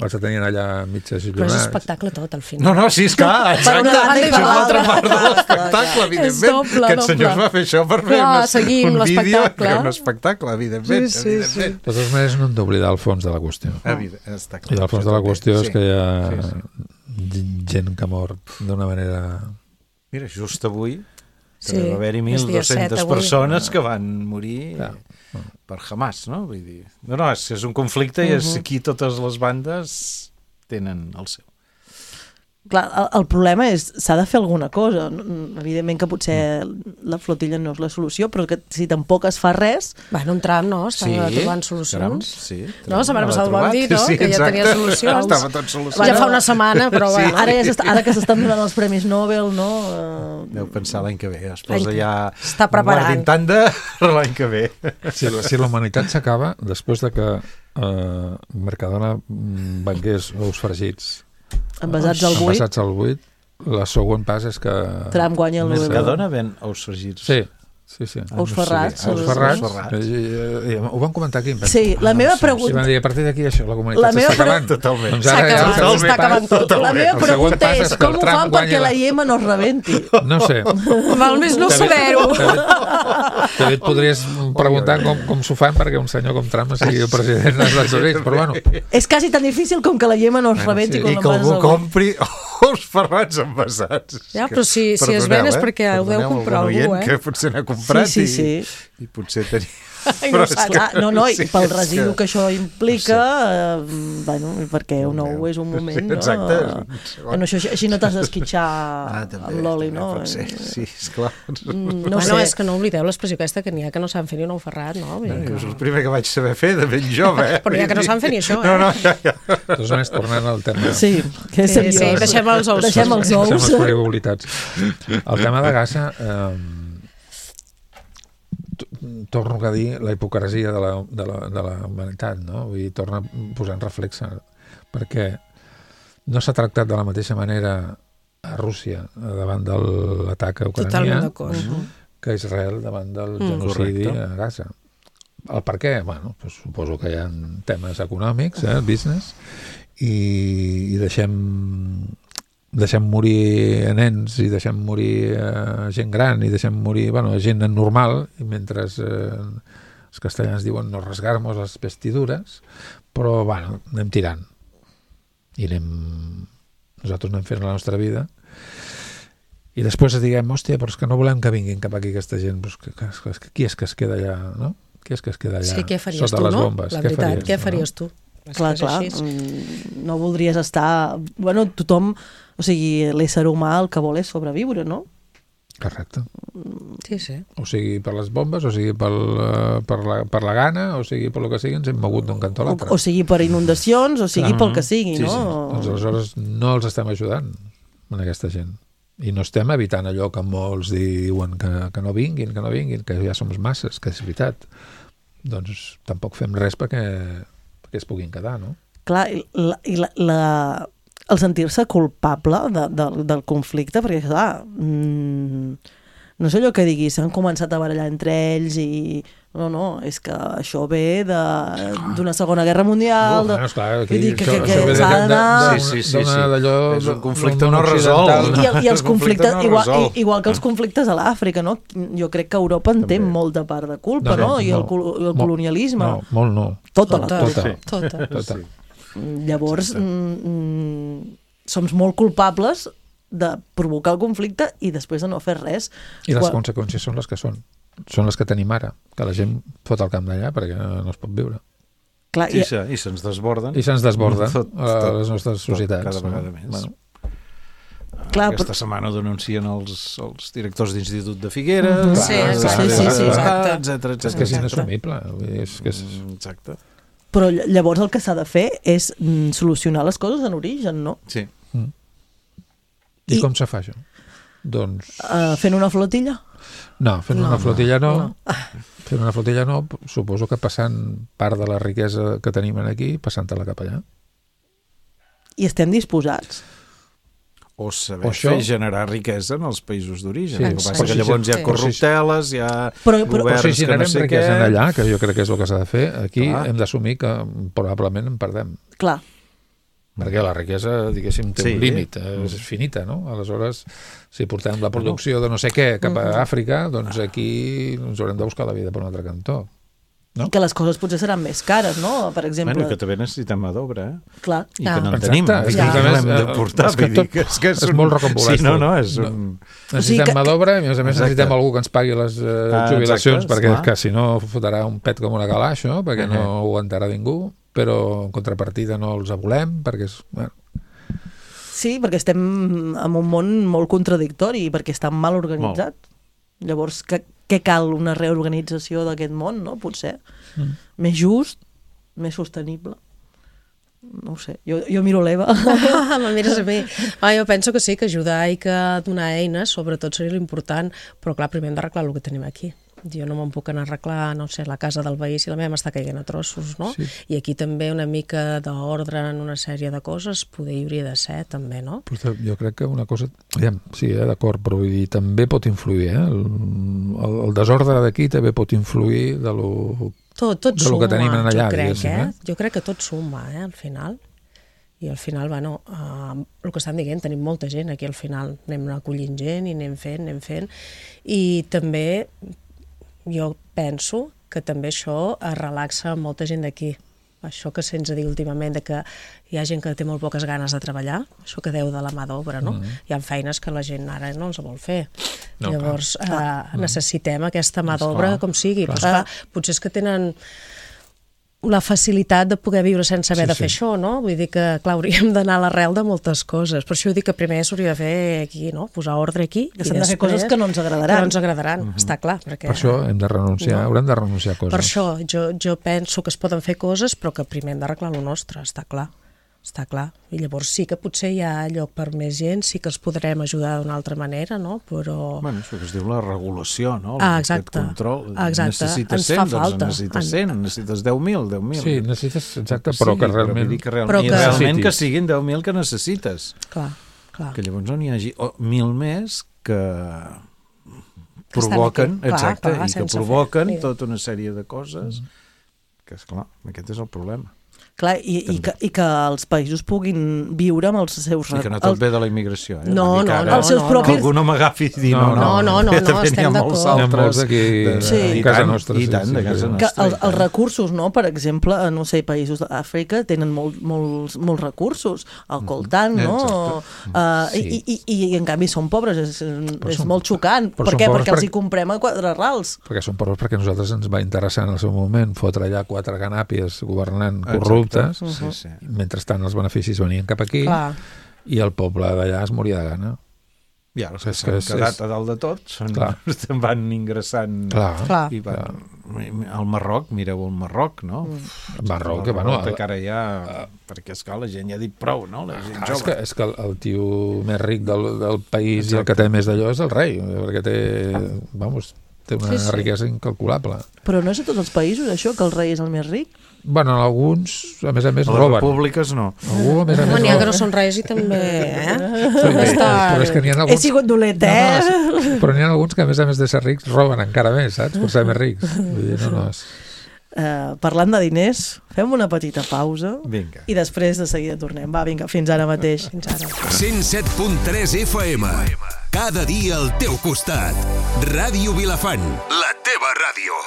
els tenien allà mitges Però és jornades. espectacle tot, al final. No, no, sí, és clar, exacte, una banda i és per una altra l'altra. part de l'espectacle, evidentment, És doble, que els senyors doble. va fer això per fer Clar, un, seguim un vídeo, l'espectacle. que un espectacle, evidentment, Sí, sí, sí. evidentment. De totes maneres, no hem d'oblidar el fons de la qüestió. Evident, està clar. I el fons això de la també. qüestió és Sí, que hi ha sí, sí. gent que mor d'una manera... Mira, just avui Sí, que va haver-hi mil és dia set dues-centes avui. persones que van morir Clar. per Hamas, no? Vull dir, no, no, és, és un conflicte i és, aquí totes les bandes tenen el seu. Clar, el, el problema és, s'ha de fer alguna cosa. Evidentment que potser la flotilla no és la solució, però que si tampoc es fa res... Bueno, un tram, no? Estava Sí, trobant caram, solucions. sí, No, la setmana l'ha passada ho vam trobat. dir, no? Sí, Que ja exacte. tenia solucions. Estava tot solucionat. Ja fa una setmana, però Sí. bueno. Ara, ja s'està, ara que s'estan donant els Premis Nobel, no? Deu pensar l'any que ve, es posa L'any- ja Està preparant. guardint tant de l'any que ve. Si, la- si la humanitat s'acaba, després de que eh, Mercadona mm, vengués ous fregits Envasats al buit, envasats al buit, la següent pas és que... Trump guanya el Nobel. Mercadona ven ous fregits. Sí, sí, sí. Ah, Ous no ferrats. sabia. Els Ous ferrats, ferrats. eh, eh, eh, ho van comentar aquí. em penso. Sí, la meva I van pregunta... dir, a partir d'aquí això, la comunitat La meva s'està acabant. pre- Totalment. Doncs S'ha ara ja acabat, el següent s'està pas- acabant tot. La meva El següent pregunta pas és és que com el ho Trump fan guanyi perquè la- la Iema no es rebenti? No sé. Val més no saber-ho. També et podries preguntar com, com s'ho fan perquè un senyor com Trump sigui el president dels Estats Units, però bueno. És quasi tan difícil com que la Iema no es rebenti sí. quan I que l'envases algú al buit. compri ous ferrats envasats. Ja, però si- si es ven és perquè ho deu Perdoneu comprar algun algú, oient eh? que potser n'ha comprat Sí, sí, i, sí. i potser tenia... Ai, Però no és saps. que- Ah, no, no, i Sí, pel és residu que- que això implica, eh, bueno, perquè un ou és un moment, no? Exacte, és un Eh, segon. no, això, així no t'has d'esquitxar Ah, també, amb l'oli, també no? pot ser. Sí, esclar. Mm, No bueno, sé. és que no oblideu l'expressió aquesta que n'hi ha que no saben fer ni un ou ferrat, no? Vull dir Jo és que... el primer que vaig saber fer de ben jove, eh? Però n'hi ha que no saben fer ni això, eh? No, no, ja, ja. De totes maneres, tornant al tema... Sí, que és Sí, seriós. sí, deixem els ous. Deixem els Deixem ous. les frivolitats. El tema de Gaza... Eh, torno a dir la hipocresia de la, de la, de la humanitat, no? Vull dir, torna a posar en reflex perquè no s'ha tractat de la mateixa manera a Rússia davant de l'atac a Totalment Ucrània d'acord. que a Israel davant del Mm. genocidi Correcte. a Gaza. El per què? Bueno, doncs suposo que hi ha temes econòmics, eh, business, i, i deixem deixem morir nens i deixem morir eh, gent gran i deixem morir, bueno, gent normal i mentre eh, els castellans diuen no rasgar-nos les vestidures, però bueno, anem tirant i anem nosaltres anem fent la nostra vida i després diguem, hòstia, però és que no volem que vinguin cap aquí aquesta gent, però és que, que, que, qui és que es queda allà, no? Qui és que es queda allà És que què faries sota tu, les no? bombes? La Què veritat, faries què tu, faries no? tu? És Clar, que és clar, així. mm, no voldries estar... Bueno, tothom, o sigui, l'ésser humà el que vol és sobreviure, no? Correcte. Sí, sí. O sigui per les bombes, o sigui pel, eh, per, la, per la gana, o sigui per lo que sigui, ens hem mogut d'un cantó a O, l'altre. o sigui per inundacions, o sigui pel que sigui, Sí, no? sí. Doncs aleshores no els estem ajudant a aquesta gent. I no estem evitant allò que molts diuen que, que no vinguin, que no vinguin, que ja som masses, que és veritat. Doncs tampoc fem res perquè, perquè es puguin quedar, no? Clar, i la, i la, la, el sentir-se culpable de, de, del conflicte, perquè, clar, mmm, no sé allò que digui, s'han començat a barallar entre ells i... No, no, és que això ve d'una segona guerra mundial... Bueno, esclar, aquí, vull dir que, que, això- que això ve s'ha de- de- d'anar... de- Sí, sí, sí, d'una sí. d'allò- És un d'un conflicte món no occidental. resolt. I, i, i els El conflicte conflictes, no igual, resol. i, igual que els conflictes a l'Àfrica, no? Jo crec que Europa en té També. molta part de culpa, No, no? no, I el, no. col- el Molt- colonialisme. No, molt no. Tota la Tota. culpa. Tota. Tota. Tota. Llavors, mm, mm, som molt culpables de provocar el conflicte i després de no fer res. I les Quan- conseqüències són les que són. Són les que tenim ara, que la gent fot el camp d'allà perquè no es pot viure. Clar, Sí, i, sí, i se'ns desborden. I se'ns desborda Tot, a tot, les nostres tot, societats. cada vegada no? més. Bueno, Clar, Aquesta però... setmana denuncien els, els directors d'institut de Figueres, Mm-hmm. Sí, els- exacte. Sí, sí, sí, exacte. etcètera, etcètera. És que és etcètera. inassumible. Vull dir, És que és... Mm, Exacte. però llavors el que s'ha de fer és mm, solucionar les coses en origen, no? Sí. I I- com se fa això? Doncs... Uh, fent una flotilla? No, fent No, una flotilla no. no. Fent una flotilla no, suposo que passant part de la riquesa que tenim aquí, passant-la cap allà. I estem disposats. O saber O això- fer generar riquesa en els països d'origen. Sí, El que passa exacte. que llavors hi ha Sí. corrupteles, hi ha Però- però- governs Però si que no generem sé riquesa què... en allà, que jo crec que és el que s'ha de fer, aquí Clar. hem d'assumir que probablement en perdem. Clar. Perquè la riquesa, diguéssim, té Sí. un límit, és finita, no? Aleshores, si portem la producció de no sé què cap a Àfrica, doncs aquí ens haurem de buscar la vida per un altre cantó. No? I que les coses potser seran més cares, no? Per exemple... Bueno, que també necessitem mà d'obra, eh? Clar. I que no en Exacte, tenim. és I que que a no més, l'hem de eh, portar. és que vull dir tot- que és, que és, és un... molt rocambolesc Sí, no, tot. no, és No. un... Necessitem O sigui que- mà d'obra i, a més a més, Exacte. necessitem algú que ens pagui les eh, Ah, jubilacions, exacte, perquè esclar. que, si no fotrà un pet com una cala, això, perquè Uh-huh. no ho aguantarà ningú, però en contrapartida no els volem, perquè és... Bueno, Sí, perquè estem en un món molt contradictori, perquè està mal organitzat. Llavors, què, què cal? Una reorganització d'aquest món, no? Potser. Mm. Més just, més sostenible. No ho sé, jo, jo miro l'Eva. Ah, me mires a mi. Ah, jo penso que sí, que ajudar i que donar eines, sobretot seria l'important, però clar, primer hem d'arreglar el que tenim aquí. Jo no me'n puc anar a arreglar, no sé, la casa del veí si la meva m'està caient a trossos, no? Sí. I aquí també una mica d'ordre en una sèrie de coses poder hi hauria de ser, també, no? Però jo crec que una cosa... Aviam, sí, eh, d'acord, però vull dir, també pot influir, eh? El, el, el desordre d'aquí també pot influir de lo... Tot, tot de lo suma, que tenim en allà, jo crec, diguéssim, eh? eh? Jo crec que tot suma, eh, al final. I al final, bueno, uh, el que estan dient, tenim molta gent aquí al final. Anem acollint gent i anem fent, anem fent. I també jo penso que també això es relaxa molta gent d'aquí. Això que se'ns ha dit últimament, de que hi ha gent que té molt poques ganes de treballar, això que deu de la mà d'obra, no? Mm. Hi ha feines que la gent ara no els vol fer. No, Llavors, clar. eh, necessitem aquesta mà d'obra com sigui. clar. Però, esclar, potser és que tenen la facilitat de poder viure sense haver Sí, de fer sí. això, no? Vull dir que, clar, hauríem d'anar a l'arrel de moltes coses. Per això dic que primer s'hauria de fer aquí, no? Posar ordre aquí. Que i s'han de fer després coses que no ens agradaran. Que no ens agradaran, està clar. Perquè, Per això hem de renunciar, No. haurem de renunciar a coses. per això jo, jo penso que es poden fer coses, però que primer hem d'arreglar lo nostre, està clar. Està clar. I llavors sí que potser hi ha lloc per més gent, sí que els podrem ajudar d'una altra manera, no? Però... Bueno, això que es diu la regulació, no? Ah, Aquest exacte. control. Exacte. Necessites Ens cent, fa doncs falta. necessites En- cent, necessites deu mil, deu mil. Sí, necessites, exacte, Sí, però que vull realment... dir que, real, Però i que- realment que Necessitis. siguin deu mil que necessites. Clar, clar. Que llavors no n'hi hagi oh, mil més que Que estan provoquen, aquí. Clar, exacte, clar, i que sense fer. provoquen Mira. tota una sèrie de coses que, esclar, aquest és el problema. Clar, i, i, que, i que els països puguin viure amb els seus... I que no tot els- ve de la immigració. Eh? No, Vull dir que no, ara no, Els seus no, Que propis- algú no m'agafi i dir, No, no, no, no, no, que no, també estem n'hi ha molts d'acord. N'hi ha molts altres aquí de, Sí. i a casa tant, nostra, i sí, tant, sí, de sí, casa sí. que nostra. els, i els tant. recursos, no? Per exemple, no sé, països d'Àfrica tenen molt, molts, molts recursos, el coltant, no? Uh, Sí. i, i, I en canvi són pobres, és, és són- molt xocant. però Per són què? pobres Perquè els perquè- hi comprem a quatre rals. Perquè són pobres perquè a nosaltres ens va interessar en el seu moment fotre allà quatre ganàpies governant Exacte. corruptes, Sí, sí. mentrestant els beneficis venien cap aquí Clar. i el poble d'allà es moria de gana. I ara els que És que s'han és- quedat és- a dalt de tot són, Clar. van ingressant Clar, Clar. i van, al Marroc, mireu el Marroc, no? el Marroc, que bueno... que ara ja, perquè és que la gent ja ha dit prou, no? La gent Ah, és, jove. que, és que el, el tio més ric del, del país i el Exacte. que té més d'allò és el rei, perquè té, vamos, té una Sí, sí. riquesa incalculable. Però no és a tots els països, això, que el rei és el més ric? Bueno, en alguns, a més a més, A les roben. repúbliques no. Algú, a més a Home, més, n'hi ha que roba. no són reis i també, eh? Sí, També està... però és que n'hi ha He alguns... sigut dolent, eh? No, no, però n'hi ha alguns que, a més a més de ser rics, roben encara més, saps? Per ser més rics. Vull dir, no, no, és... Uh, parlant de diners, fem una petita pausa Vinga. i després de seguida tornem. Va, vinga, fins ara mateix. Fins ara. cent set punt tres F M. Cada dia al teu costat. Ràdio Vilafant, la teva ràdio.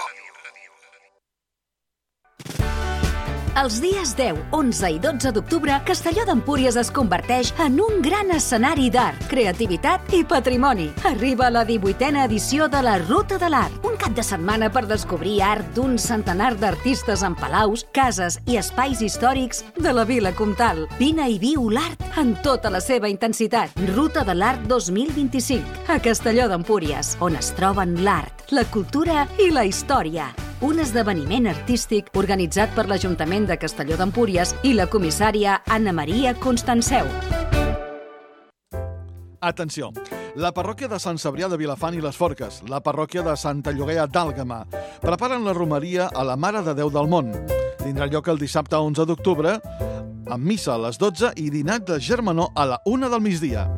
Els dies deu, onze i dotze d'octubre, Castelló d'Empúries es converteix en un gran escenari d'art, creativitat i patrimoni. Arriba la divuitena edició de la Ruta de l'Art, un cap de setmana per descobrir art d'un centenar d'artistes en palaus, cases i espais històrics de la Vila Comtal. Vine i viu l'art en tota la seva intensitat. Ruta de l'Art dos mil vint-i-cinc, a Castelló d'Empúries, on es troben l'art, la cultura i la història. Un esdeveniment artístic organitzat per l'Ajuntament de Castelló d'Empúries i la comissària Anna Maria Constanceu. Atenció! La parròquia de Sant Cebrià de Vilafant i les Forques, la parròquia de Santa Llogaia d'Àlgama, preparen la romeria a la Mare de Déu del Món. Tindrà lloc el dissabte onze d'octubre, amb missa a les dotze i dinat de germanor a la una del migdia.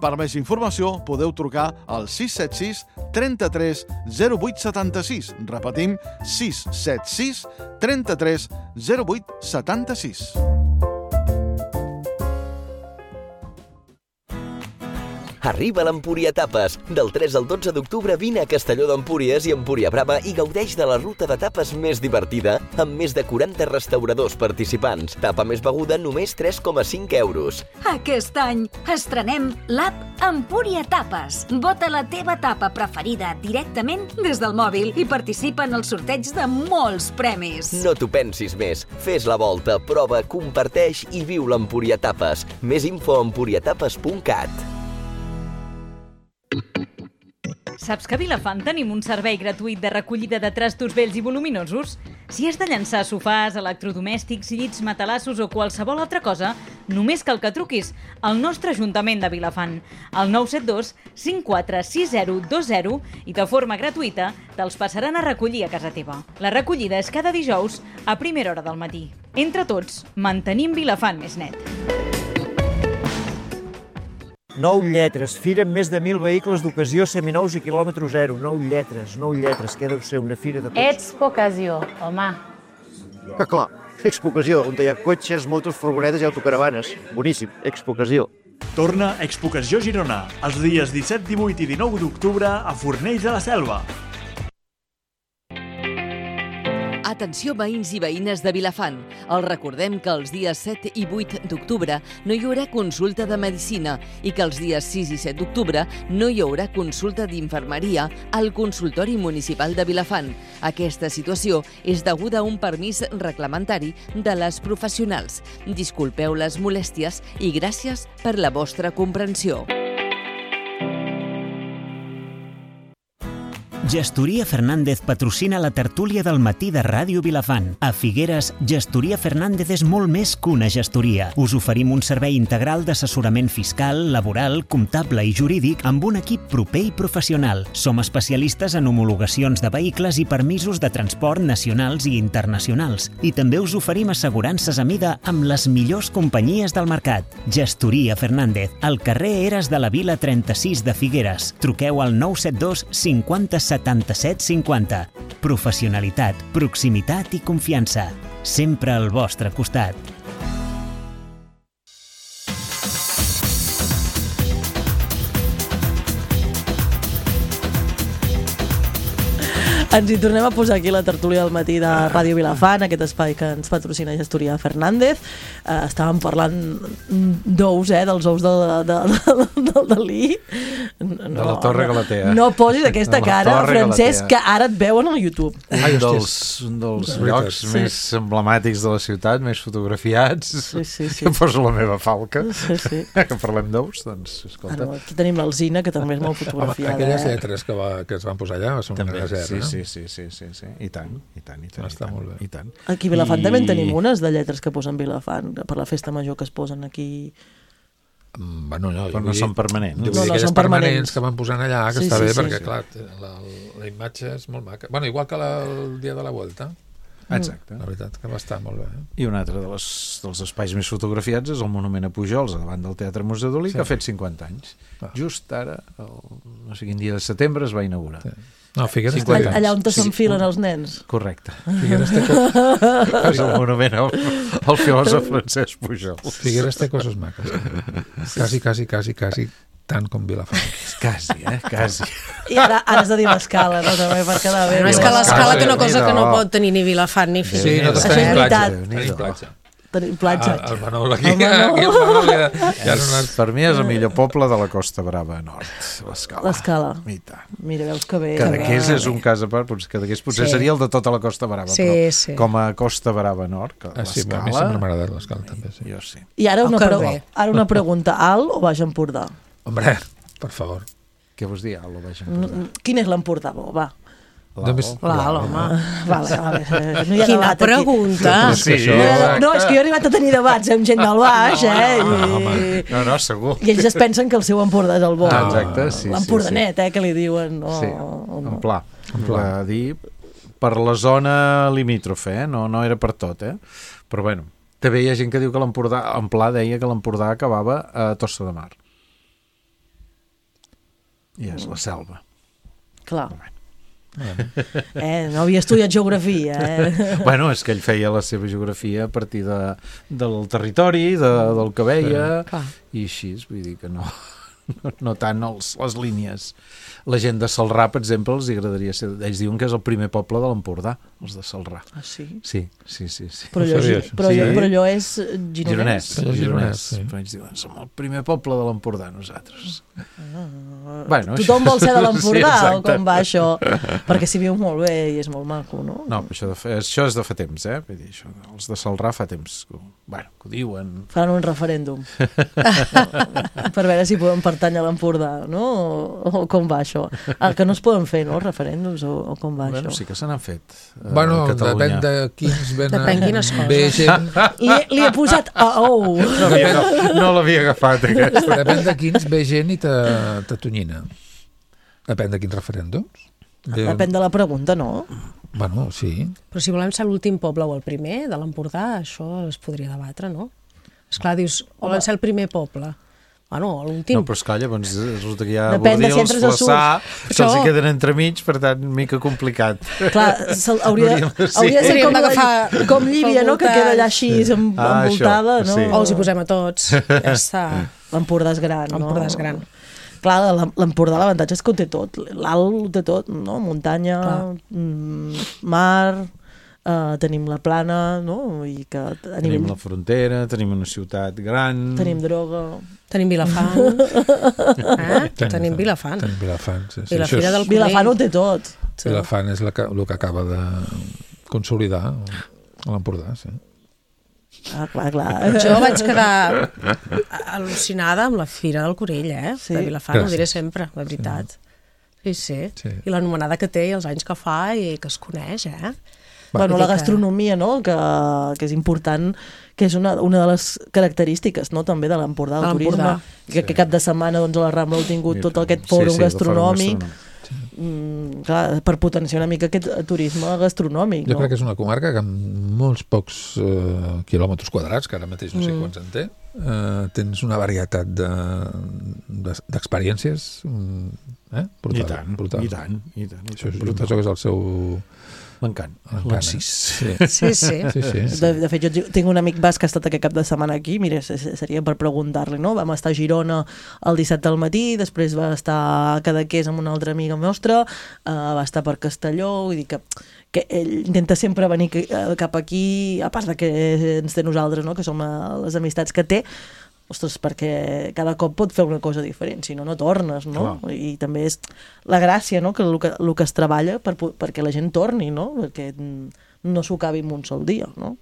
Per més informació podeu trucar al sis set sis, trenta-tres, zero vuit setanta-sis. Repetim, sis set sis, trenta-tres, zero vuit setanta-sis. Arriba l'Empúria Tapes. Del tres al dotze d'octubre vine a Castelló d'Empúries i Empúria Brava i gaudeix de la ruta de tapes més divertida amb més de quaranta restauradors participants. Tapa més beguda només tres coma cinc euros. Aquest any estrenem l'app Empúria Tapes. Vota la teva tapa preferida directament des del mòbil i participa en el sorteig de molts premis. No t'ho pensis més. Fes la volta, prova, comparteix i viu l'Empúria Tapes. Més info a empuriatapes punt cat. Saps que a Vilafant tenim un servei gratuït de recollida de trastos vells i voluminosos? Si has de llançar sofàs, electrodomèstics, llits, matalassos o qualsevol altra cosa, només cal que truquis al nostre Ajuntament de Vilafant, al nou set dos, cinc quatre sis zero dos zero i de forma gratuïta te'ls passaran a recollir a casa teva. La recollida és cada dijous a primera hora del matí. Entre tots, mantenim Vilafant més net. Nou lletres, fira amb més de mil vehicles d'ocasió seminous i quilòmetre zero. Nou lletres, nou lletres, què deu ser una fira de cotxes? Expo Ocasió, home. Que clar, Expo Ocasió, on hi ha cotxes, motos, furgonetes i autocaravanes. Boníssim, Expo Ocasió. Torna Expo Ocasió Girona, els dies disset, divuit i dinou d'octubre a Fornells de la Selva. Atenció veïns i veïnes de Vilafant. Els recordem que els dies set i vuit d'octubre no hi haurà consulta de medicina i que els dies sis i set d'octubre no hi haurà consulta d'infermeria al consultori municipal de Vilafant. Aquesta situació és deguda a un permís reglamentari de les professionals. Disculpeu les molèsties i gràcies per la vostra comprensió. Gestoria Fernández patrocina la tertúlia del matí de Ràdio Vilafant. A Figueres, Gestoria Fernández és molt més que una gestoria. Us oferim un servei integral d'assessorament fiscal, laboral, comptable i jurídic amb un equip proper i professional. Som especialistes en homologacions de vehicles i permisos de transport nacionals i internacionals. I també us oferim assegurances a mida amb les millors companyies del mercat. Gestoria Fernández, al carrer Eres de la Vila trenta-sis de Figueres. Truqueu al nou set dos cinquanta setanta-set cinquanta. Professionalitat, proximitat i confiança. Sempre al vostre costat. Ens hi tornem a posar aquí la tertúlia del matí de Ràdio Vilafant, aquest espai que ens patrocina Gestoria Fernández. Uh, estàvem parlant d'ous, eh, dels ous del de, de, de, de Dalí. No, de la Torre Galatea. No posis aquesta cara, Francesc, que ara et veuen al YouTube. Un dels, un dels llocs sí. més emblemàtics de la ciutat, més fotografiats. Sí, sí, sí. Que poso la meva falca. Sí, sí. Que parlem d'ous, doncs, escolta. Ah, no, aquí tenim l'Alzina, que també és molt fotografiada. Home, aquelles eh? lletres que, va, que es van posar allà són també, una reserva, sí, no? sí, sí, sí, sí, sí, i tant, i tant, i tant, està i tant, molt bé. i tant. Aquí a Vilafant I... també en tenim unes de lletres que posen Vilafant, per la festa major que es posen aquí. Bueno, no, però no són permanents. No, no, no són permanents que van posant allà, que sí, està sí, bé, sí, perquè, sí. clar, la, la imatge és molt maca. Bueno, igual que la, el dia de la Vuelta. Exacte. La veritat que va estar molt bé. Eh? I un altre de les, dels espais més fotografiats és el Monument a Pujols, davant del Teatre Museu Dalí, sí. que ha fet cinquanta anys. Ah. Just ara, el, no sé quin dia de setembre, es va inaugurar. Sí. No, Figueres té... Allà on s'enfilen sí. els nens. Correcte. Figueres té... és el monument al, al filòsof Francesc Pujol. Figueres té coses maques. Quasi, quasi, quasi, quasi tant com Vilafant. Quasi, eh? Quasi. I ara, ara has de dir l'escala, no? També per quedar bé. No, és que l'escala té una cosa que no pot tenir ni Vilafant ni Figueres. Sí, nosaltres Això és tenim platja. veritat. Tenim platja. Tenim platja. El Manol aquí, aquí el Manol ja, ja no és, per mi és el millor poble de la Costa Brava Nord, l'Escala. L'escala. I tant. Mira, veus que bé. Cadaqués és un cas a part, Cadaqués potser Sí. seria el de tota la Costa Brava, Sí, però sí. com a Costa Brava Nord, que Ah, sí, a mi l'Escala... sempre m'ha agradat l'Escala també, sí. Jo sí. I ara una, Oh, que pre bé. ara una pregunta. Alt o Baix Empordà? Hombre, per favor. Què vols dir, Alt o Baix Empordà? Mm, Quin és l'Empordà, bo? Va. Només... L'Alt, home. Vale, vale. No hi ha Quina debat aquí. pregunta. Sí, No, hi ha- no, és que jo he arribat a tenir debats amb gent del Baix, eh? No, no, I, no, no, segur. I ells es pensen que el seu Empordà és el bo. Ah, exacte, sí, sí, L'Empordanet, eh, que li diuen. No, Sí, en pla. En pla. Va dir per la zona limítrofe, eh? No, no era per tot, eh? Però bueno, també hi ha gent que diu que l'Empordà, en pla deia que l'Empordà acabava a Tossa de Mar. I és la selva. Clar. Eh, no havia estudiat geografia, eh? Bueno, és que ell feia la seva geografia a partir de, del territori, de, del que veia, Sí. i així, vull dir que no, no, no tant els, les línies. La gent de Celrà, per exemple, els agradaria ser... Ells diuen que és el primer poble de l'Empordà, els de Celrà. Ah, sí? Sí, sí, sí. sí. Però allò, sabia, però, sí. allò, però allò és gironès? Gironès, Allò gironès. gironès, sí. Però ells diuen, som el primer poble de l'Empordà, nosaltres. Ah, Bueno, tothom vol ser de sí, l'Empordà, o exacte. com va això? Perquè s'hi viu molt bé i és molt maco, no? No, però això, de fa, això és de fa temps, eh? Vull dir, això, els de Celrà fa temps. Que, bueno, que ho diuen... Faran un referèndum. Per veure si podem pertànyer a l'Empordà, no? O, o com va això? El que no es poden fer, no? Referèndums, o, o com va Bueno, això? sí que se n'han fet. eh, Bueno, a Catalunya. depèn de quins venen... Depèn quines coses. Ve gent... Li, li he posat a ou. No, havia, no, no l'havia agafat, aquesta. Depèn de quins ve gent i te- t'atonyina. Depèn de quins referèndums. Ve- Depèn de la pregunta, no? Bueno, sí. Però si volem ser l'últim poble o el primer de l'Empordà, això es podria debatre, no? Esclar, dius, volen ser el primer poble. Bueno, l'últim. No, però esclar, llavors resulta que hi ha Depèn de si Bordils, entres a Surs. Flaçà, que Això- els hi queden entremig, per tant, mica complicat. Clar, se'l- hauria, Hauríem de- sí. hauria de ser Hauríem com, d'agafar com Llívia, no? Que pel queda allà així em- Ah, envoltada, això, no? sí. O els hi posem a tots, ja està. L'Empordà és gran, no? L'Empordà és gran. Clar, l'Em- l'Empordà l'avantatge és que ho té tot. L'alt ho té tot, no? Muntanya, Clar. mm, mar, eh, tenim la plana, no? I que a Tenim nivell... la frontera, tenim una ciutat gran... Tenim droga... Tenim Vilafant. Eh? Tenim Vilafant. Tenim Vilafant, sí, sí. I la Això Fira és- del Vilafant ho Conill. té tot. Vilafant és la que, el que acaba de consolidar a l'Empordà, sí. Ah, clar, clar. Jo vaig quedar al·lucinada amb la Fira del Conill, eh? Sí. De Vilafant, Gràcies. ho diré sempre, de veritat. Sí, sí. Sí. I l'anomenada que té i els anys que fa i que es coneix, eh? Bueno, Vull la dir que- gastronomia, no?, que, que és important, que és una, una de les característiques, no?, també de l'Empordà, De el turisme, l'Empordà. que, que cap de setmana doncs, a la Rambla heu tingut tot aquest fòrum Sí, sí, de gastronòmic, fòrum mm, clar, per potenciar una mica aquest turisme gastronòmic, Jo no? crec que és una comarca que amb molts pocs eh, quilòmetres quadrats, que ara mateix no sé Mm. quants en té, eh, tens una varietat de- de- d'experiències de, eh? brutal, I tant, brutal. i tant, i tant. I Això, tant, és, brutal. penso que és el seu... L'encant, L'encant, l'encís. Sí. Sí, sí. Sí, sí. De, de fet, jo tinc un amic basc que ha estat aquest cap de setmana aquí, mira, se- se- seria per preguntar-li, no? Vam estar a Girona el dissabte al matí, després va estar a Cadaqués amb una altra amiga nostra, uh, va estar per Castelló, vull dir que, que ell intenta sempre venir que- eh, cap aquí, a part de que ens té nosaltres, no? Que som eh, les amistats que té, ostres, perquè cada cop pot fer una cosa diferent, si no, no tornes, no? Clar. I també és la gràcia, no?, que el que, el que es treballa per, po- perquè la gent torni, no? Perquè mm, no s'ho acabi en un sol dia, no?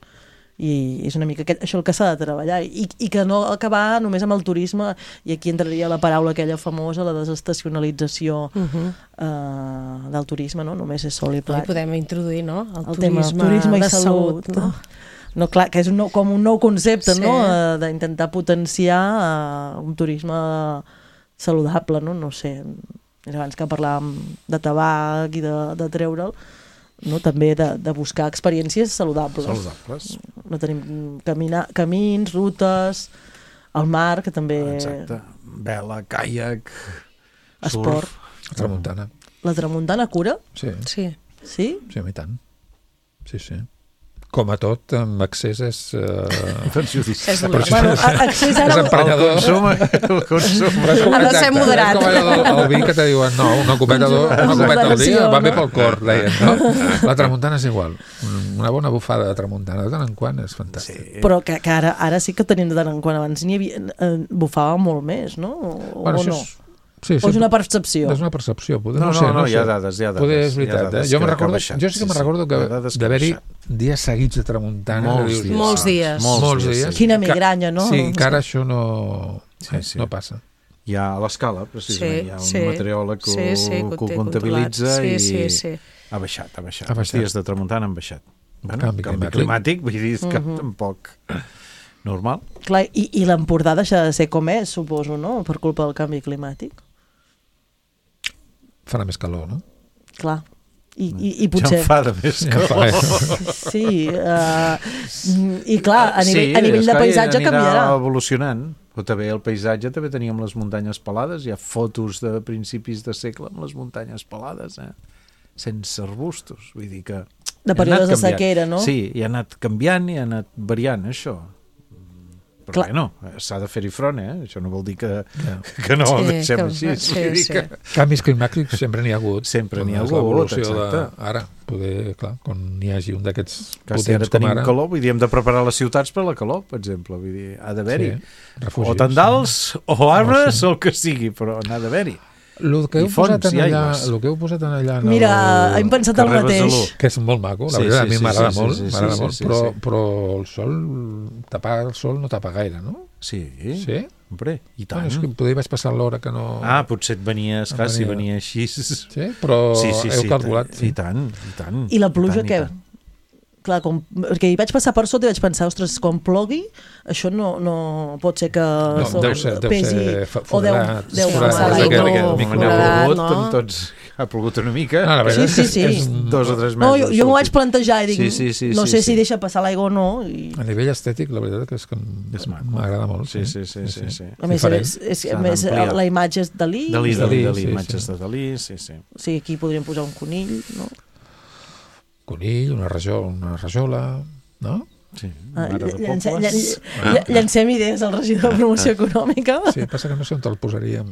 I és una mica aquest, això el que s'ha de treballar i, i que no acabar només amb el turisme, i aquí entraria la paraula aquella famosa, la desestacionalització Uh -huh. eh, del turisme, no? Només és sol i Hi plat. podem introduir, no? El, El tema turisme, turisme i de salut, salut, no? No, clar, que és un nou, com un nou concepte, Sí. no?, eh, d'intentar potenciar uh, un turisme saludable, no? No sé, abans que parlàvem de tabac i de, de treure'l, no? També de, de buscar experiències saludables. Saludables. No tenim camina, camins, rutes, el mar, que també... Exacte. Vela, caiac, Esport. surf. Tramuntana. La tramuntana cura? Sí. Sí. Sí? Sí, a mi tant. Sí, sí. Com a tot, amb accés és... Uh, perjudicial. És bueno, accés ara... És emprenyador. El consum, el consum. Ha de ser moderat. És com el, el vi que te diuen, no, una copeta, una copeta al dia va bé pel cor, deien, no? La tramuntana és igual. Una bona bufada de tramuntana de tant en quant és fantàstic. Sí. Però que, que ara, ara sí que tenim de tant en quant. Abans n'hi havia... Eh, bufava molt més, no? O, bueno, o no? És... Sí, sí, o és una percepció? És una percepció. Poder, no, no, no, sé, no, no hi ha sé. dades, hi ha dades. Poder és veritat, eh? Jo, me recordo, baixat, jo sí que sí, me recordo que sí, d'haver-hi dies seguits de tramuntana. Molts dius, dies. Molts dies. Molts, Molts dies. dies. Quina migranya, no? Sí, que ara això no, Sí, sí. no passa. Hi ha a l'escala, precisament, Sí, hi ha un sí. meteoròleg que, Sí, sí, que ho que ho té comptabilitza controlat. Sí, i sí, sí. ha baixat, ha baixat. Ha baixat. Els dies de tramuntana han baixat. Bueno, Canvi canvi, canvi climàtic, vull dir, és que Mhm. tampoc normal. Clar, i, i l'Empordà deixa de ser com és, suposo, no? Per culpa del canvi climàtic. Farà més calor, no? Clar. I, i, i potser... Ja em fa de més Ja em fa, calor. Sí, uh, i clar, a nivell, sí, a nivell de esclar, paisatge anirà canviarà. evolucionant. Però també el paisatge, també teníem les muntanyes pelades, hi ha fotos de principis de segle amb les muntanyes pelades, eh? Sense arbustos, vull dir que... De ha períodes anat de canviant. sequera, no? Sí, i ha anat canviant i ha anat variant, això. Però Clar. bueno, s'ha de fer-hi front, eh? Això no vol dir que, Ja. que no ho Sí, deixem que- així. sí, Vull dir sí. que... Canvis climàtics sempre n'hi ha hagut. Sempre n'hi ha És hagut, l'evolució exacte. de... Ara, poder, clar, quan n'hi hagi un d'aquests Que si ara potents com tenim ara... calor, vull dir, hem de preparar les ciutats per la calor, per exemple. Vull dir, ha d'haver-hi. Sí, refugis. O tendals, o arbres, No, sí. o el que sigui, però n'ha d'haver-hi. El que heu I fonts posat en i allà, aigües. el que heu posat en allà en Mira, el... hem pensat el Carrer mateix. Besalú. que és molt maco, la Sí, veritat, sí, a mi sí, m'agrada sí, molt, sí, sí, m'agrada sí, molt, sí, però, sí. però el sol, tapar el sol no tapa gaire, no? Sí, Sí? hombre, i tant. Bueno, és que poder vaig passar l'hora que no... Ah, potser et venia, esclar, si Venia. venia així... Sí, però Sí, sí, heu sí, calculat. i Sí. tant, i tant. I la pluja, i tant, i què? tant. Clar, com, perquè hi vaig passar per sota i vaig pensar, ostres, quan plogui, això no, no pot ser que No, so- deu ser- deu pesi... ser fa- o deu, foradat, deu foradat, passar d'aquest- l'aigua. d'aquest o micro- Quan ha foradat, plogut, no? amb tots... Ha plogut una mica. No, la veritat Sí, és sí, que sí. és Dos o tres mesos. No, jo, jo m'ho vaig escolti. plantejar i dic, Sí, sí, sí, no sí, sé sí. si deixa passar l'aigua o no. I... A nivell estètic, la veritat és que És maco. m'agrada molt. Sí, sí, sí, sí, sí. A més, Diferent. és, és, S'ha a més d'ampliar. la imatge és Dalí. Dalí, Sí, Dalí, sí, Dalí, sí, imatges sí. de Dalí, sí, sí. O sigui, aquí podríem posar un conill, no? Conill, una, rajola, una rajola, no? Sí, Ah, mare de llance, pobles. ll- llancem idees al regidor de promoció econòmica. Sí, passa que no sé on te'l posaríem.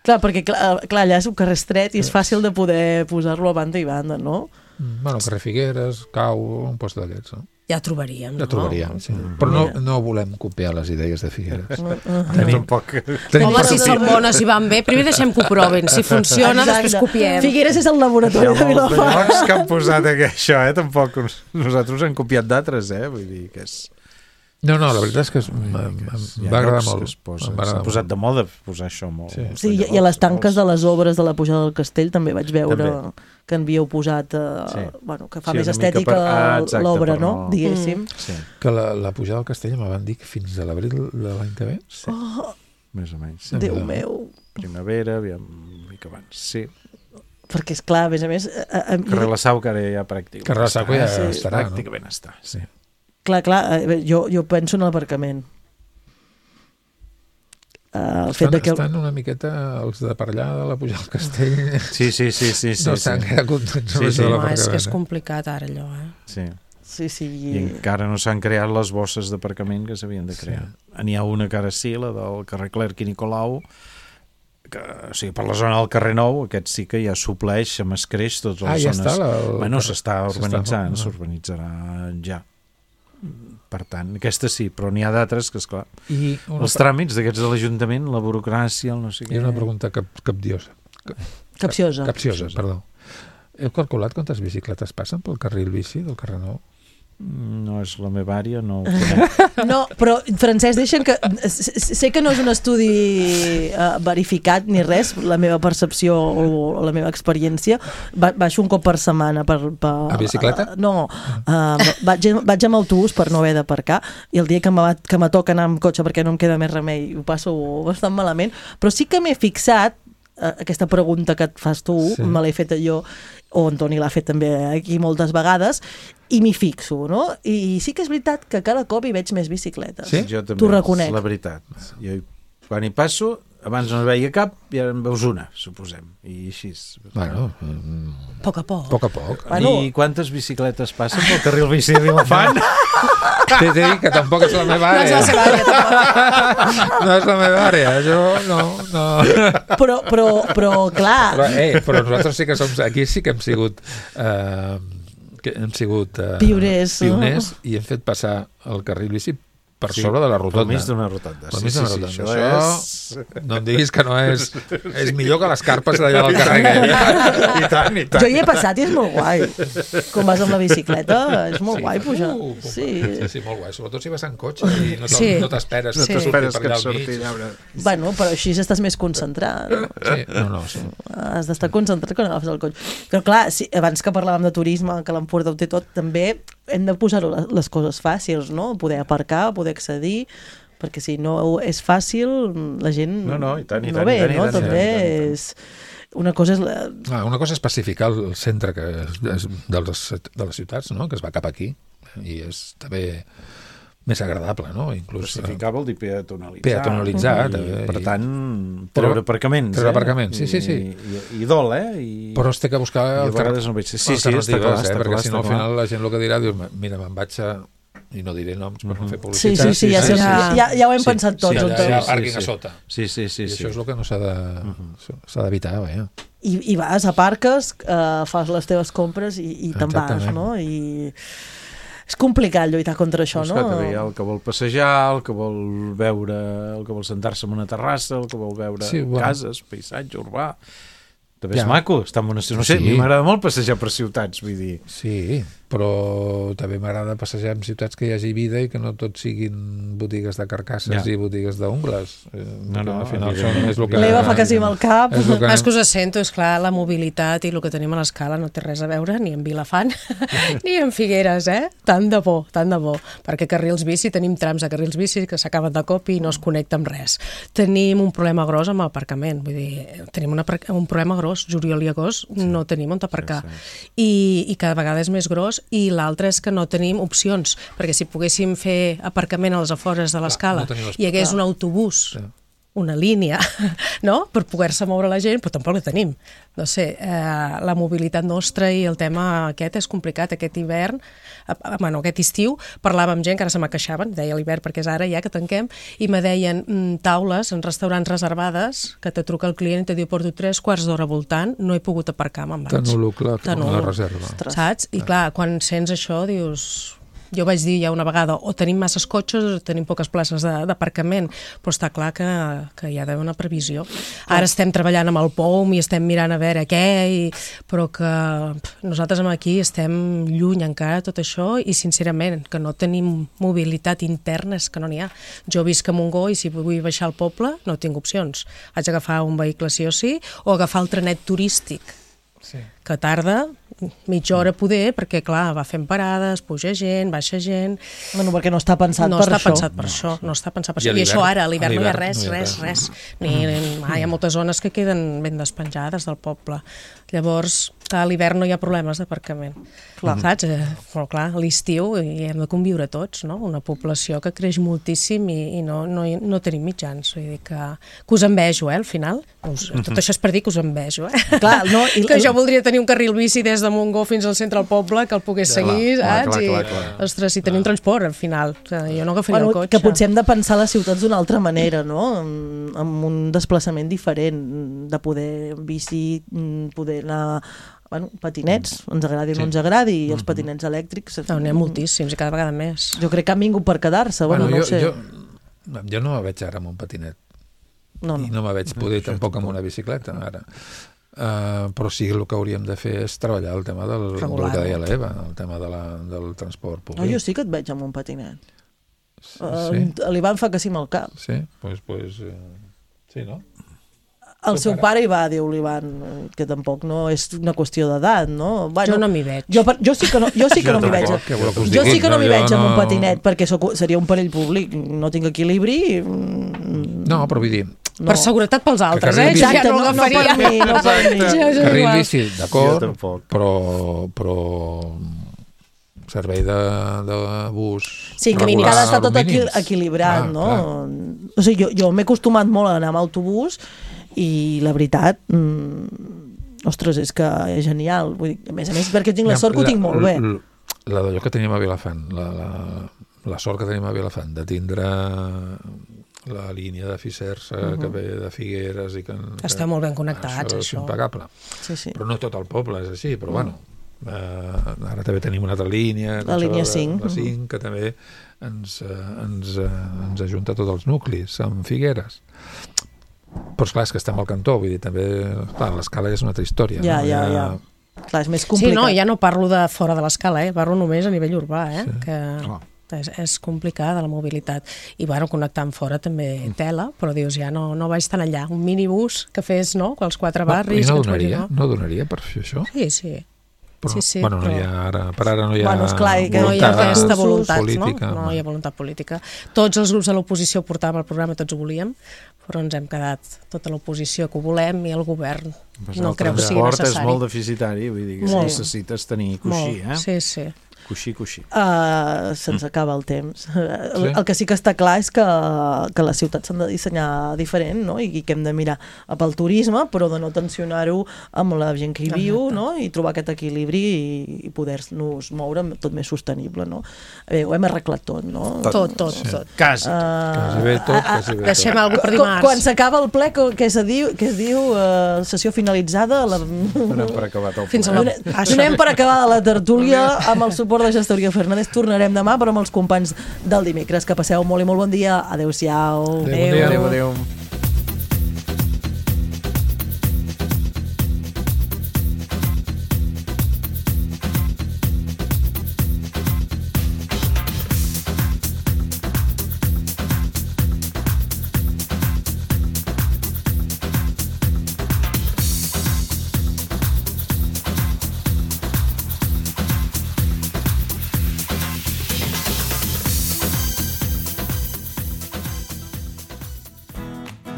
Clar, perquè clar, clar, allà és un carrer estret i és fàcil de poder posar-lo a banda i banda, no? Bueno, carrer Figueres, Cau, un post d'aquests, no? Ja trobaríem, Ja no? trobaríem, sí. Però no, no volem copiar les idees de Figueres. Tenim poc... Tenim Home, si per- són bones i van bé, primer deixem que ho proven. Si funciona, Exacte. després copiem. Figueres és el laboratori de Vilafant. Pocs que han posat aquí, això, eh? Tampoc uns- nosaltres hem copiat d'altres, eh? Vull dir que és... No, no, la veritat és que es, em, em, Hi em ha va agradar llocs molt. que es posa- Em va S'ha agradar posat molt. de moda posar això molt. Sí. Sí, i, i a les tanques de les obres de la pujada del castell també vaig veure També. que en havíeu posat, eh, Sí. bueno, que fa Sí, més una mica estètica per- ah, exacte, l'obra, per no? no- Diguéssim. Sí, Que la, la pujada del castell me van dir que fins a l'abril de l'any que ve. sí. Oh, Més o menys. Déu Déu-n'hi-do. meu. Primavera, aviam, una mica abans. Sí. Perquè, és clar, a més a més... A, a, Carrer La Sau, que ara ja pràcticament Carrer La Sau que ja està, estarà, no? Pràcticament està, sí. clar, clar, eh, jo, jo penso en l'aparcament. Uh, el fet Estan, de que... estan una miqueta els de per allà de la pujada del castell. Sí, sí, sí, sí, sí, no sí. s'han quedat contents Sí, amb sí. això de Home, és que és l'aparcament. complicat ara allò, eh? sí. Sí, sí. I encara no s'han creat les bosses d'aparcament que s'havien de crear. Sí. N'hi ha una que ara sí, la del carrer Clerc i Nicolau, que, o sigui, per la zona del carrer Nou, aquest sí que ja supleix amb escreix totes les Ah, ja zones. està, la- el Bueno, carrer- s'està s'està- urbanitzant, ah. s'urbanitzarà ja. Per tant, aquesta sí, però n'hi ha d'altres que, esclar, I una, els tràmits d'aquests de l'Ajuntament, la burocràcia, el no sé què... I una pregunta cap, capdiosa. Capciosa. Capciosa, perdó. Heu calculat quantes bicicletes passen pel carril bici del carrer Nou? No és la meva àrea, no ho conec. No, però, Francesc, deixa'm que... Sé que no és un estudi uh, verificat ni res, la meva percepció o la meva experiència. Ba baixo un cop per setmana per... per A bicicleta? Uh, no, uh, vaig, vaig amb autobús per no haver d'aparcar i el dia que me, que me toca anar amb cotxe perquè no em queda més remei ho passo bastant malament, però sí que m'he fixat uh, aquesta pregunta que et fas tu, Sí. me l'he fet jo, o en Toni l'ha fet també aquí moltes vegades, i m'hi fixo, no? I sí que és veritat que cada cop hi veig més bicicletes. Sí? Jo també, T'ho reconec. és la veritat. Jo, quan hi passo, abans no veia cap i ara en veus una, suposem, i així. Bueno, a poc a poc. Poc a poc. Bueno. I quantes bicicletes passen pel carril bici de Vilafant? T'he de dir que tampoc és la meva àrea. No és la seva àrea, tampoc. No és la meva àrea, jo no... no. Però, però, però clar... Però, eh, però nosaltres sí que som... Aquí sí que hem sigut... Eh, que hem sigut... Eh, pioners. Pioners, i hem fet passar el carril bici per sí, sobre de la rotonda. Pel mig d'una rotonda. Pel mig sí, d'una sí, rotonda. sí, això això és... no em diguis que no és... És millor que les carpes d'allà del carrer. I tant, i tant. Jo hi he passat i és molt guai. Quan vas amb la bicicleta, és molt sí, guai pujar. Uh, sí. sí, sí, molt guai. Sobretot si vas en cotxe i no sí. t'esperes no sí. t'esperes que et surti surti allà. Bueno, però així estàs més concentrat. No? Sí, no, no, sí. Has d'estar concentrat quan agafes el cotxe. Però clar, si, abans que parlàvem de turisme, que l'Empordà ho té tot, també hem de posar les coses fàcils, no? Poder aparcar, poder accedir, perquè si no és fàcil, la gent no, no, i tant, i no tant, ve, i tant, no? i tant, També i tant, i tant. és... Una cosa és... La... Ah, una cosa és pacificar el centre que és, és dels, de les ciutats, no? Que es va cap aquí, i és també més agradable, no? Inclús, pacificar vol dir peatonalitzar. Peatonalitzar, i, també. Per I, tant, treure aparcaments. Treure eh? aparcaments, sí, sí, sí. I, i, i dol, eh? I, però es té que buscar i a vegades no veig... Sí, sí, alternatives, està clar, eh? està Perquè clar, si no al clar. final la gent el que dirà, dius, mira, me'n vaig a... i no diré noms per no fer Sí, publicitat. sí, sí, ja, sí, ja, ja, ja ho hem sí, pensat tots. sí, Sí, allà hi ha sí, pàrquing sí. a sota. Sí, sí, sí. I sí. això és el que no s'ha de, uh-huh. s'ha d'evitar, vaja. I, I vas, aparques, eh, fas les teves compres i, i te'n vas, Exactament. no? I és complicat lluitar contra això, Doncs no? clar, hi ha el que vol passejar, el que vol veure, el que vol sentar-se en una terrassa, el que vol veure Sí, bueno. cases, paisatge urbà. També és Ja. maco, està en una... No sé, Sí. a mi m'agrada molt passejar per ciutats, vull dir... Sí, però també m'agrada passejar en ciutats que hi hagi vida i que no tot siguin botigues de carcasses Ja. i botigues d'ungles. Eh, No, no, al final evidentment. són, és el que... L'Eva fa que sí amb el cap. És el que... És que us sento, és clar, la mobilitat i el que tenim a l'escala no té res a veure ni en Vilafant ni en Figueres, eh? Tant de bo, tant de bo. Perquè carrils bici, tenim trams de carrils bici que s'acaben de cop i no es connecta amb res. Tenim un problema gros amb l'aparcament, vull dir, tenim una, un problema gros, juliol i agost no tenim on aparcar. Sí, sí. I, i cada vegada és més gros, i l'altre és que no tenim opcions, perquè si poguéssim fer aparcament a les afores de l'escala no tenim les- i hi hagués Clar. un autobús, Sí. una línia, no?, per poder-se moure la gent, però tampoc la tenim. No sé, eh, la mobilitat nostra i el tema aquest és complicat. Aquest hivern, eh, bueno, aquest estiu, parlava amb gent que ara se me queixaven, deia l'hivern perquè és ara ja que tanquem, i me deien mm, taules en restaurants reservades, que te truca el client i te diu porto tres quarts d'hora voltant, no he pogut aparcar, me'n vaig. T'anulo, clar, T'anulo. la reserva. Saps? I clar, quan sents això dius... Jo vaig dir ja una vegada, o tenim masses cotxes o tenim poques places de- d'aparcament, però està clar que, que hi ha d'haver una previsió. Ara estem treballant amb el P O M i estem mirant a veure què, i, però que pff, nosaltres aquí estem lluny encara de tot això, i sincerament que no tenim mobilitat interna, és que no n'hi ha. Jo visc a Montgó i si vull baixar al poble no tinc opcions. Haig d'agafar un vehicle sí o sí, o agafar el trenet turístic, Sí. que tarda mitja hora poder, perquè clar, va fent parades, puja gent, baixa gent... Bueno, perquè no està pensat no per està això. pensat per això, no està pensat per I a això. I l'hivern? això ara, a l'hivern A no hi ha l'hivern res, no hi ha res, res. res. Ni, ni, ah, hi ha moltes zones que queden ben despenjades del poble. Llavors, clar, a l'hivern no hi ha problemes d'aparcament. Clar. Saps? Eh, però clar, a l'estiu hi hem de conviure tots, no? Una població que creix moltíssim i, i no, no, no tenim mitjans. Vull dir que, que us envejo, eh, al final. Us, tot això és per dir que us envejo, eh? Clar, no, i, Que jo voldria tenir un carril bici des de Montgó fins al centre del poble, que el pogués Clar, seguir, clar, saps? clar, I, clar, clar. ostres, si tenim transport, al final. O sigui, jo no agafaria bueno, el cotxe. que potser hem de pensar les ciutats d'una altra manera, no? Amb, amb un desplaçament diferent, de poder bici, poder anar... Bueno, patinets, ens agradi o no ens agradi, i els patinets elèctrics... No, n'hi ha moltíssims i cada vegada més. Jo crec que han vingut per quedar-se, bueno, Bueno, no jo, ho sé. jo, jo no me veig ara amb un patinet. No, I no. no me veig poder tampoc amb una bicicleta, ara. Uh, però sí, el que hauríem de fer és treballar el tema del, del Regular. que deia l'Eva, el tema de la, del transport No, públic. jo sí que et veig amb un patinet. Sí? Uh, L'Ivan fa que sí amb el cap. Sí? Pues, pues, eh, sí, no? El seu pare hi va, diu l'Ivan, que tampoc no és una qüestió d'edat, no? Bueno, Jo no m'hi veig. Jo, per- jo sí que no, jo sí que Jo no m'hi veig. tampoc, què voleu que us Jo digui? sí que no No, m'hi jo veig amb un no- patinet, perquè soc, seria un perill públic. No tinc equilibri. mm, No, però vull dir, No. Per seguretat pels altres, carril eh? bici- Jo ja Exacte, no no, no l'agafaria. per mi, no per mi. Jo, jo carril igual. bici, Jo d'acord, tampoc. però, però servei de, de bus sí, que regular, ha d'estar tot equi mínims. equilibrat, Ah, no? clar. O sigui, jo, jo m'he acostumat molt a anar amb autobús i la veritat, mmm, ostres, és que és genial. Vull dir, a més a més, perquè tinc la sort que ho tinc molt bé. La, la d'allò que teníem a Vilafant, la, la, la sort que tenim a Vilafant de tindre la línia de Ficers uh -huh. que ve de Figueres i que... Està molt ben connectats, això. això. És impecable. Sí, sí. Però no tot el poble és així, però mm. bueno, eh, ara també tenim una altra línia, la línia cinc, la cinc, que també ens, eh, ens, eh, ens ajunta tots els nuclis amb Figueres. Però esclar, és que estem al cantó, vull dir, també, clar, l'escala és una altra història. Ja, no? ja, ja. Clar, és més complicat. Sí, no, ja no parlo de fora de l'escala, eh? Parlo només a nivell urbà, eh? Sí. Que... Oh. És, és complicada la mobilitat i bueno, connectar amb fora també tela, però dius, ja no, no vaig tan allà, un minibús que fes, no?, els quatre barris. No, no, que donaria, no? no donaria per fer això? Sí, sí. Però, sí, sí, bueno, però... no hi ha ara, per ara no hi ha, bueno, esclar, que no hi ha aquesta voluntat, política, no? No hi ha voluntat política. Tots els grups de l'oposició portàvem el programa, tots ho volíem, però ens hem quedat tota l'oposició que ho volem i el govern pues no creu que sigui necessari. El necessari. transport és molt deficitari, vull dir que molt. necessites tenir coixí, molt. eh? Sí, sí. Coixí, coixí. Uh, se'ns acaba el temps. El, el que sí que està clar és que, que les ciutats s'han de dissenyar diferent, no? I que hem de mirar pel turisme, però de no tensionar-ho amb la gent que hi viu, no? I trobar aquest equilibri i, i poder-nos moure tot més sostenible, no? Bé, ho hem arreglat tot, no? Tot, tot, sí. tot. Quasi. Uh, quasi bé tot, quasi bé tot. Deixem alguna cosa per dimarts. Quan s'acaba el ple, què es diu? Què es diu? Uh, sessió finalitzada? La... Donem per acabat el ple. Fins a la... Donem per acabar la tertúlia amb el suport de Gestoria Fernández. Tornarem demà, però amb els companys del dimecres. Que passeu molt i molt bon dia. Adéu-siau. Adéu, adéu, adéu.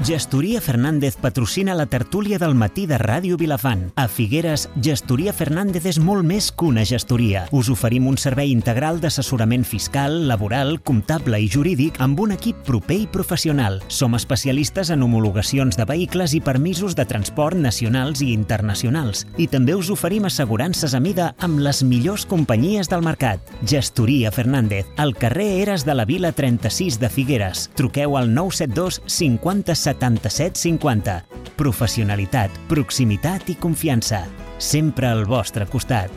Gestoria Fernández patrocina la tertúlia del matí de Ràdio Vilafant. A Figueres, Gestoria Fernández és molt més que una gestoria. Us oferim un servei integral d'assessorament fiscal, laboral, comptable i jurídic amb un equip proper i professional. Som especialistes en homologacions de vehicles i permisos de transport nacionals i internacionals. I també us oferim assegurances a mida amb les millors companyies del mercat. Gestoria Fernández, al carrer Eres de la Vila trenta-sis de Figueres. Truqueu al nou set dos cinquanta setanta-set cinquanta. Professionalitat, proximitat i confiança. Sempre al vostre costat.